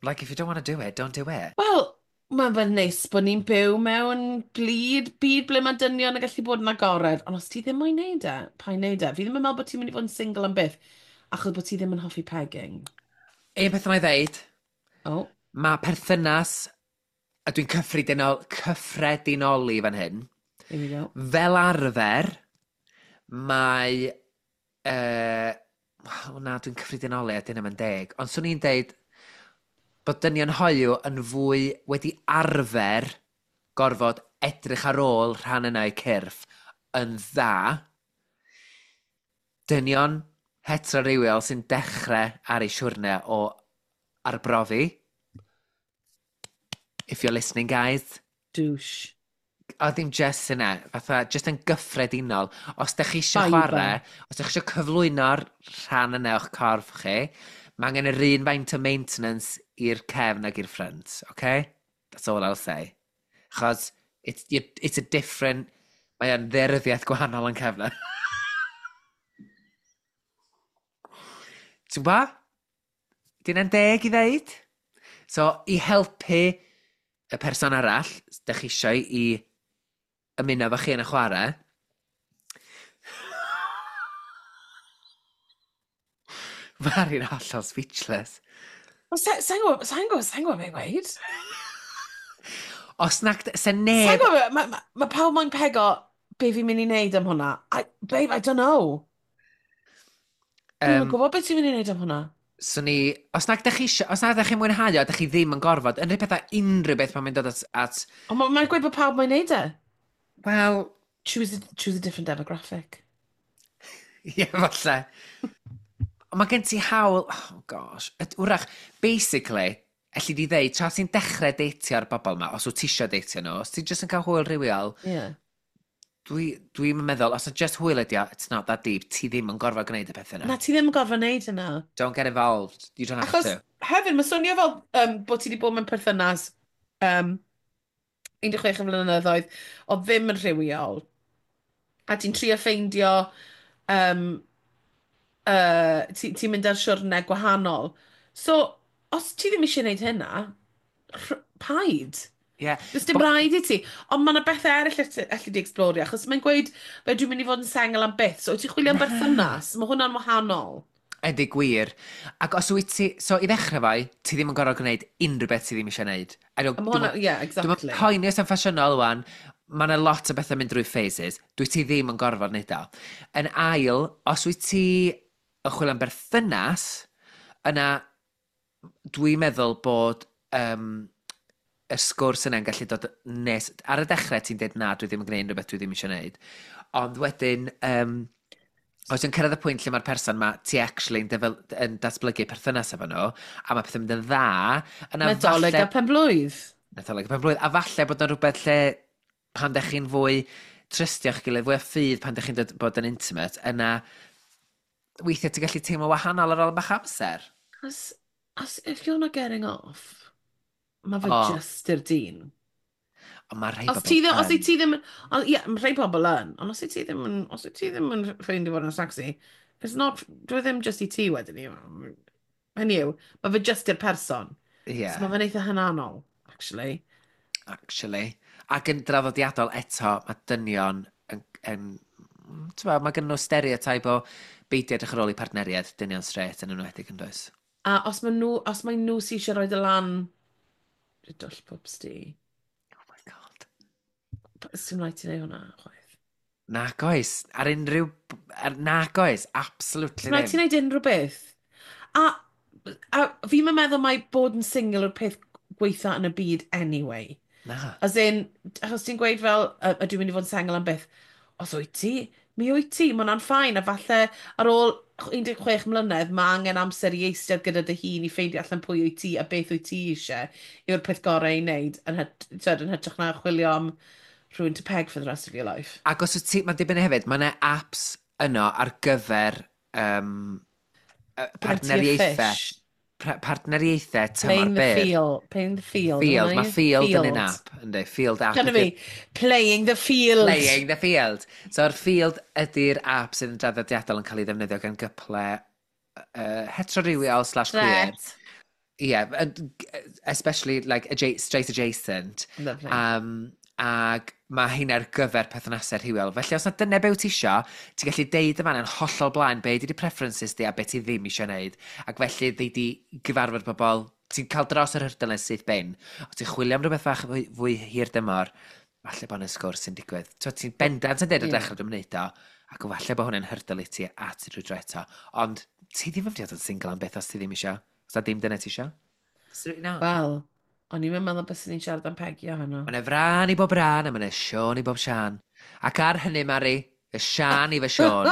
Like, if you don't want to do it, don't do it. Wel, mae'n fe'n neis bod ni'n byw mewn byd ble mae dynion yn gallu bod yn agored. Ond os ti ddim moyn neud e, paid neud e. Fi ddim yn meddwl bod ti'n mynd i fod yn single am byth, achos bod ti ddim yn hoffi pegging. Un peth yma i ddeud. Oh. Mae perthynas, a dwi'n cyffredinoli fan hyn. Here we go. Fel arfer, mae... na, dwi'n cyffredinoli a dyn nhw'n deg. Ond swn i'n deud bod dynion hoyw yn fwy wedi arfer gorfod edrych ar ôl rhan yna eu cyrff yn dda. Dynion heterorywiol sy'n dechrau ar ei siwrne o arbrofi. If you're listening, guys. Douche. O, ddim just yna, fatha, just yn gyffredinol. Os dych chi eisiau chwarae, os dych chi eisiau cyflwyno'r rhan yna o'ch corff chi, mae angen yr un faint o maintenance i'r cefn ag i'r ffrynt, okay? That's all I'll say. Chos it's a different... Mae o'n dderyddiaeth gwahanol yn cefn. Ti'n gwybod? Dyn nhw'n deg i ddeud? So, i helpu y person arall, dych chi eisiau i ymuno efo chi yn y chwarae. Mari'n hollol speechless. Sa'n gwybod beth i weud? Os nag... Se neb... Sa'n gwybod, mae pawb moyn pego be fi'n mynd i wneud am hwnna. Babe, I don't know. Dwi'n gwybod beth ti'n mynd i wneud am hwnna. So ni, os nag dych chi isio, os nag dych chi'n mwynhau o, dych chi ddim yn gorfod, unrhyw pethau, unrhyw beth mae'n mynd dod at... Ond mae'n gweud bod pawb mae'n neud e. Wel... Choose a different demographic. Ie, falle. Ond mae gen ti hawl... Oh, gosh. Wrach, basically, elli di ddeud, tra ti'n dechrau deitio'r bobl yma, os wyt ti isio deitio nhw, os ti'n just yn cael hwyl rhywiol, yeah. Dwi'n meddwl, os yna just hwyl ydi o, it's not that deep, ti ddim yn gorfod gwneud y pethau yna. Na, ti ddim yn gorfod gwneud yna. Don't get involved, you don't have Achos, to. Hefyd, mae swnio fel bod ti wedi bod mewn perthynas 16 flynyddoedd, o ddim yn rhywiol. A ti'n trio ffeindio, ti'n mynd ar siwrne gwahanol. So, os ti ddim eisiau gwneud hynna, paid. Yeah. Does dim rhaid i ti. Ond mae yna bethau eraill allu di explorio, achos mae'n gweud, fe dwi'n mynd i fod yn sengl am byth, so wyt ti'n chwilio am berthynas, mae hwnna'n wahanol. Ydy gwir. Ac os wyt ti, so i ddechrau fai, ti ddim yn gorfod gwneud unrhyw beth ti ddim eisiau gwneud. Yeah, exactly. Dwi'n poeni os yn ffasiynol wan, mae yna lot o bethau mynd drwy phases, dwi ti ddim yn gorfod wneud o. Yn ail, os wyt ti yn chwilio am berthynas, yna dwi'n meddwl bod y sgwrs yna'n gallu dod nes... Ar y dechrau ti'n dweud na, dwi ddim yn gwneud unrhyw beth dwi ddim eisiau gwneud. Ond wedyn, os ti'n cyrraedd y pwynt lle mae'r person ma, ti actually yn datblygu perthynas efo nhw, a mae pethau'n mynd yn dda... Yna Nadolig a penblwydd. Nadolig a penblwydd. A falle bod yna rhywbeth lle pan dech chi'n fwy trystio'ch gilydd, fwy o ffydd pan dech chi'n bod yn intimate, yna weithiau ti'n gallu teimlo wahanol ar ôl bach amser. As if you're not getting off... Mae fe just i'r dyn. Ond mae rhai Os bobl ti ddim, os yn. ti ddim, ie, mae rhai pobl yn, ond os ti ddim yn, os ti ddim yn ffeindio fod yn sexy, it's not, dwi ddim just i ti wedyn ni. Hynny yw, mae fe just i'r person. Yeah. So mae fe'n eitha hynanol, actually. Actually. Ac yn draddodiadol eto, mae dynion yn mae gen nhw stereotype o beidio edrych ar ôl i partneriaid, dynion straight yn enwedig yn does. A os mae nhw sy'n eisiau rhoi dy lan, dwll pwps di. Oh my god. Sdim rhaid ti wneud hwnna, chwaith. Nac oes. Ar unrhyw... Nac oes, absolutely ddim. Rhaid ti wneud unrhyw beth. A fi'n meddwl mai bod yn single yw'r peth gweitha yn y byd anyway. Na. As in, achos ti'n gweud fel, ydw i'n mynd i fod yn sengl am byth? Os wyt ti, mi wyt ti, mae hwnna'n fine. A falle ar ôl 16 mlynedd, mae angen amser i eistedd gyda dy hun i ffeindio allan pwy wyt ti a beth wyt ti eisiau yw'r peth gorau i wneud yn hytrach na chwilio am rhywun to peg for the rest of your life. Ac os wyt ti, mae'n dibynnu hefyd, mae yna apps yno ar gyfer partneriaethau. Partneriaethau tymor byr. Field, playing the field. Field, mae field yn un app, ynddi, field app. Dyna fi, playing the field. Playing the field. So'r field ydy'r app sydd yn draddodiadol yn cael ei ddefnyddio gan gyple heterorywiol slash queer. Yeah, especially like straight adjacent. Lovely. Ac mae hyn ar gyfer perthnasau rhywiol. Felly os na dyna be wyt ti isio, ti'n gallu deud yma yn hollol blaen be ydy preferences di a be ti ddim isio wneud. Ac felly ddeud di gyfarfod bobl, ti'n cael dros yr hurdle syth bin. Os ti'n chwilio am rhywbeth fach fwy, fwy hir dymor, falle bod yna sgwrs sy'n digwydd. Ti'n bendant yn deud o dechrau dwi'n wneud o, ac falle bod hwnna'n hurdle i ti a ti rhyw dro eto. Ond ti ddim yn mynd i fod yn single am beth os ti ddim isio. Os na dim dyna ti isio. Wel, o'n i'n meddwl bys ni'n siarad am Peggy o hwnnw. Mae yna fran i bob ran a mae yna Siôn i bob Sian. Ac ar hynny, Mari, y Sian i fy Siôn.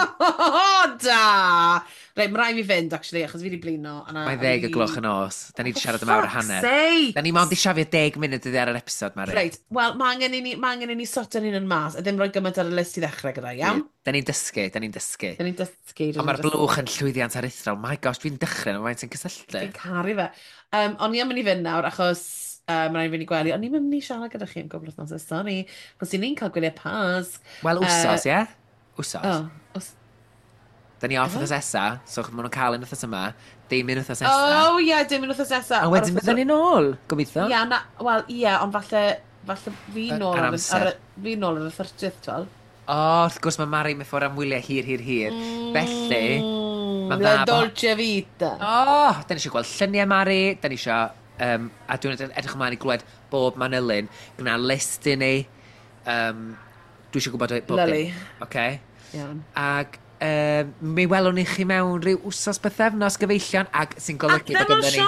Da! Reit, mae rhaid fi fynd, actually, achos fi wedi blino. Mae 10:00 y nos. Da ni wedi siarad am awr a hanner. Sake! Da ni mond i siafio 10 munud ydi ar yr episod, Mari. Reit, wel, mae angen i ni, ma angen i ni sorto'n hun yn mas, a ddim rhoi gymaint ar y list i ddechrau gyda, iawn? Da ni'n dysgu, da ni'n dysgu. Da ni'n dysgu. Ond mae'r blwch yn llwyddiant aruthrol. My gosh, dwi'n dechrau, mae faint yn cysylltu. Fi'n caru fe. O'n i am mynd i fynd nawr, achos mae rhaid i fynd i gwely. O'n i'n mynd i siarad gyda chi am gwbl wythnosau, sorry. Achos ni'n cael gwyliau Pasg. Wel, wsos, ie? Wsos. Oh, os... Da ni off wythnos nesa, so maen nhw'n cael un wythnos yma, dim un wythnos nesa. Oh, ie, yeah, dim un wythnos nesa. A wedyn byddwn ni'n ôl, gobeithio. Ie, na, wel, ie, ond falle fi nôl ar, ar, fi nôl ar y 30th, twel. O, wrth gwrs mae Mari mewn ffordd am wyliau hir, hir, hir. Felly, mae'n dda... La dolce vita. O, da ni eisiau gweld lluniau Mari, da ni eisiau... A dwi'n edrych ymlaen i glywed bob manylyn. Gwna list i ni. Dwi eisiau gwybod bob dim. Okay. Iawn. Ac mi welwn ni chi mewn rhyw wsos bythefnos, gyfeillion, ac sy'n golygu bod gynnon ni...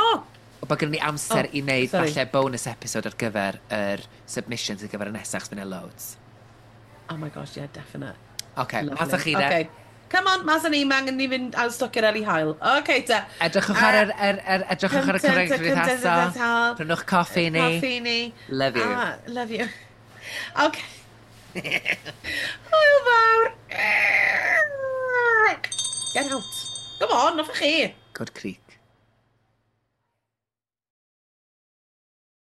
Bod gynnon ni amser i wneud falle bonus episode ar gyfer yr submissions ar gyfer y nesaf, achos fydd yna loads. Oh my gosh, yeah, definite. OK, mas â chi de. Okay. Come on, mas â ni, mae angen ni fynd al stocio'r eli haul. OK, te. Edrychwch ar yr, edrychwch ar y cyfryngau cymdeithasol. Prynwch coffi ni. Coffi ni. Love you. Ah, love you. OK. Hwyl fawr. Get out. Come on, off chi. Good creek.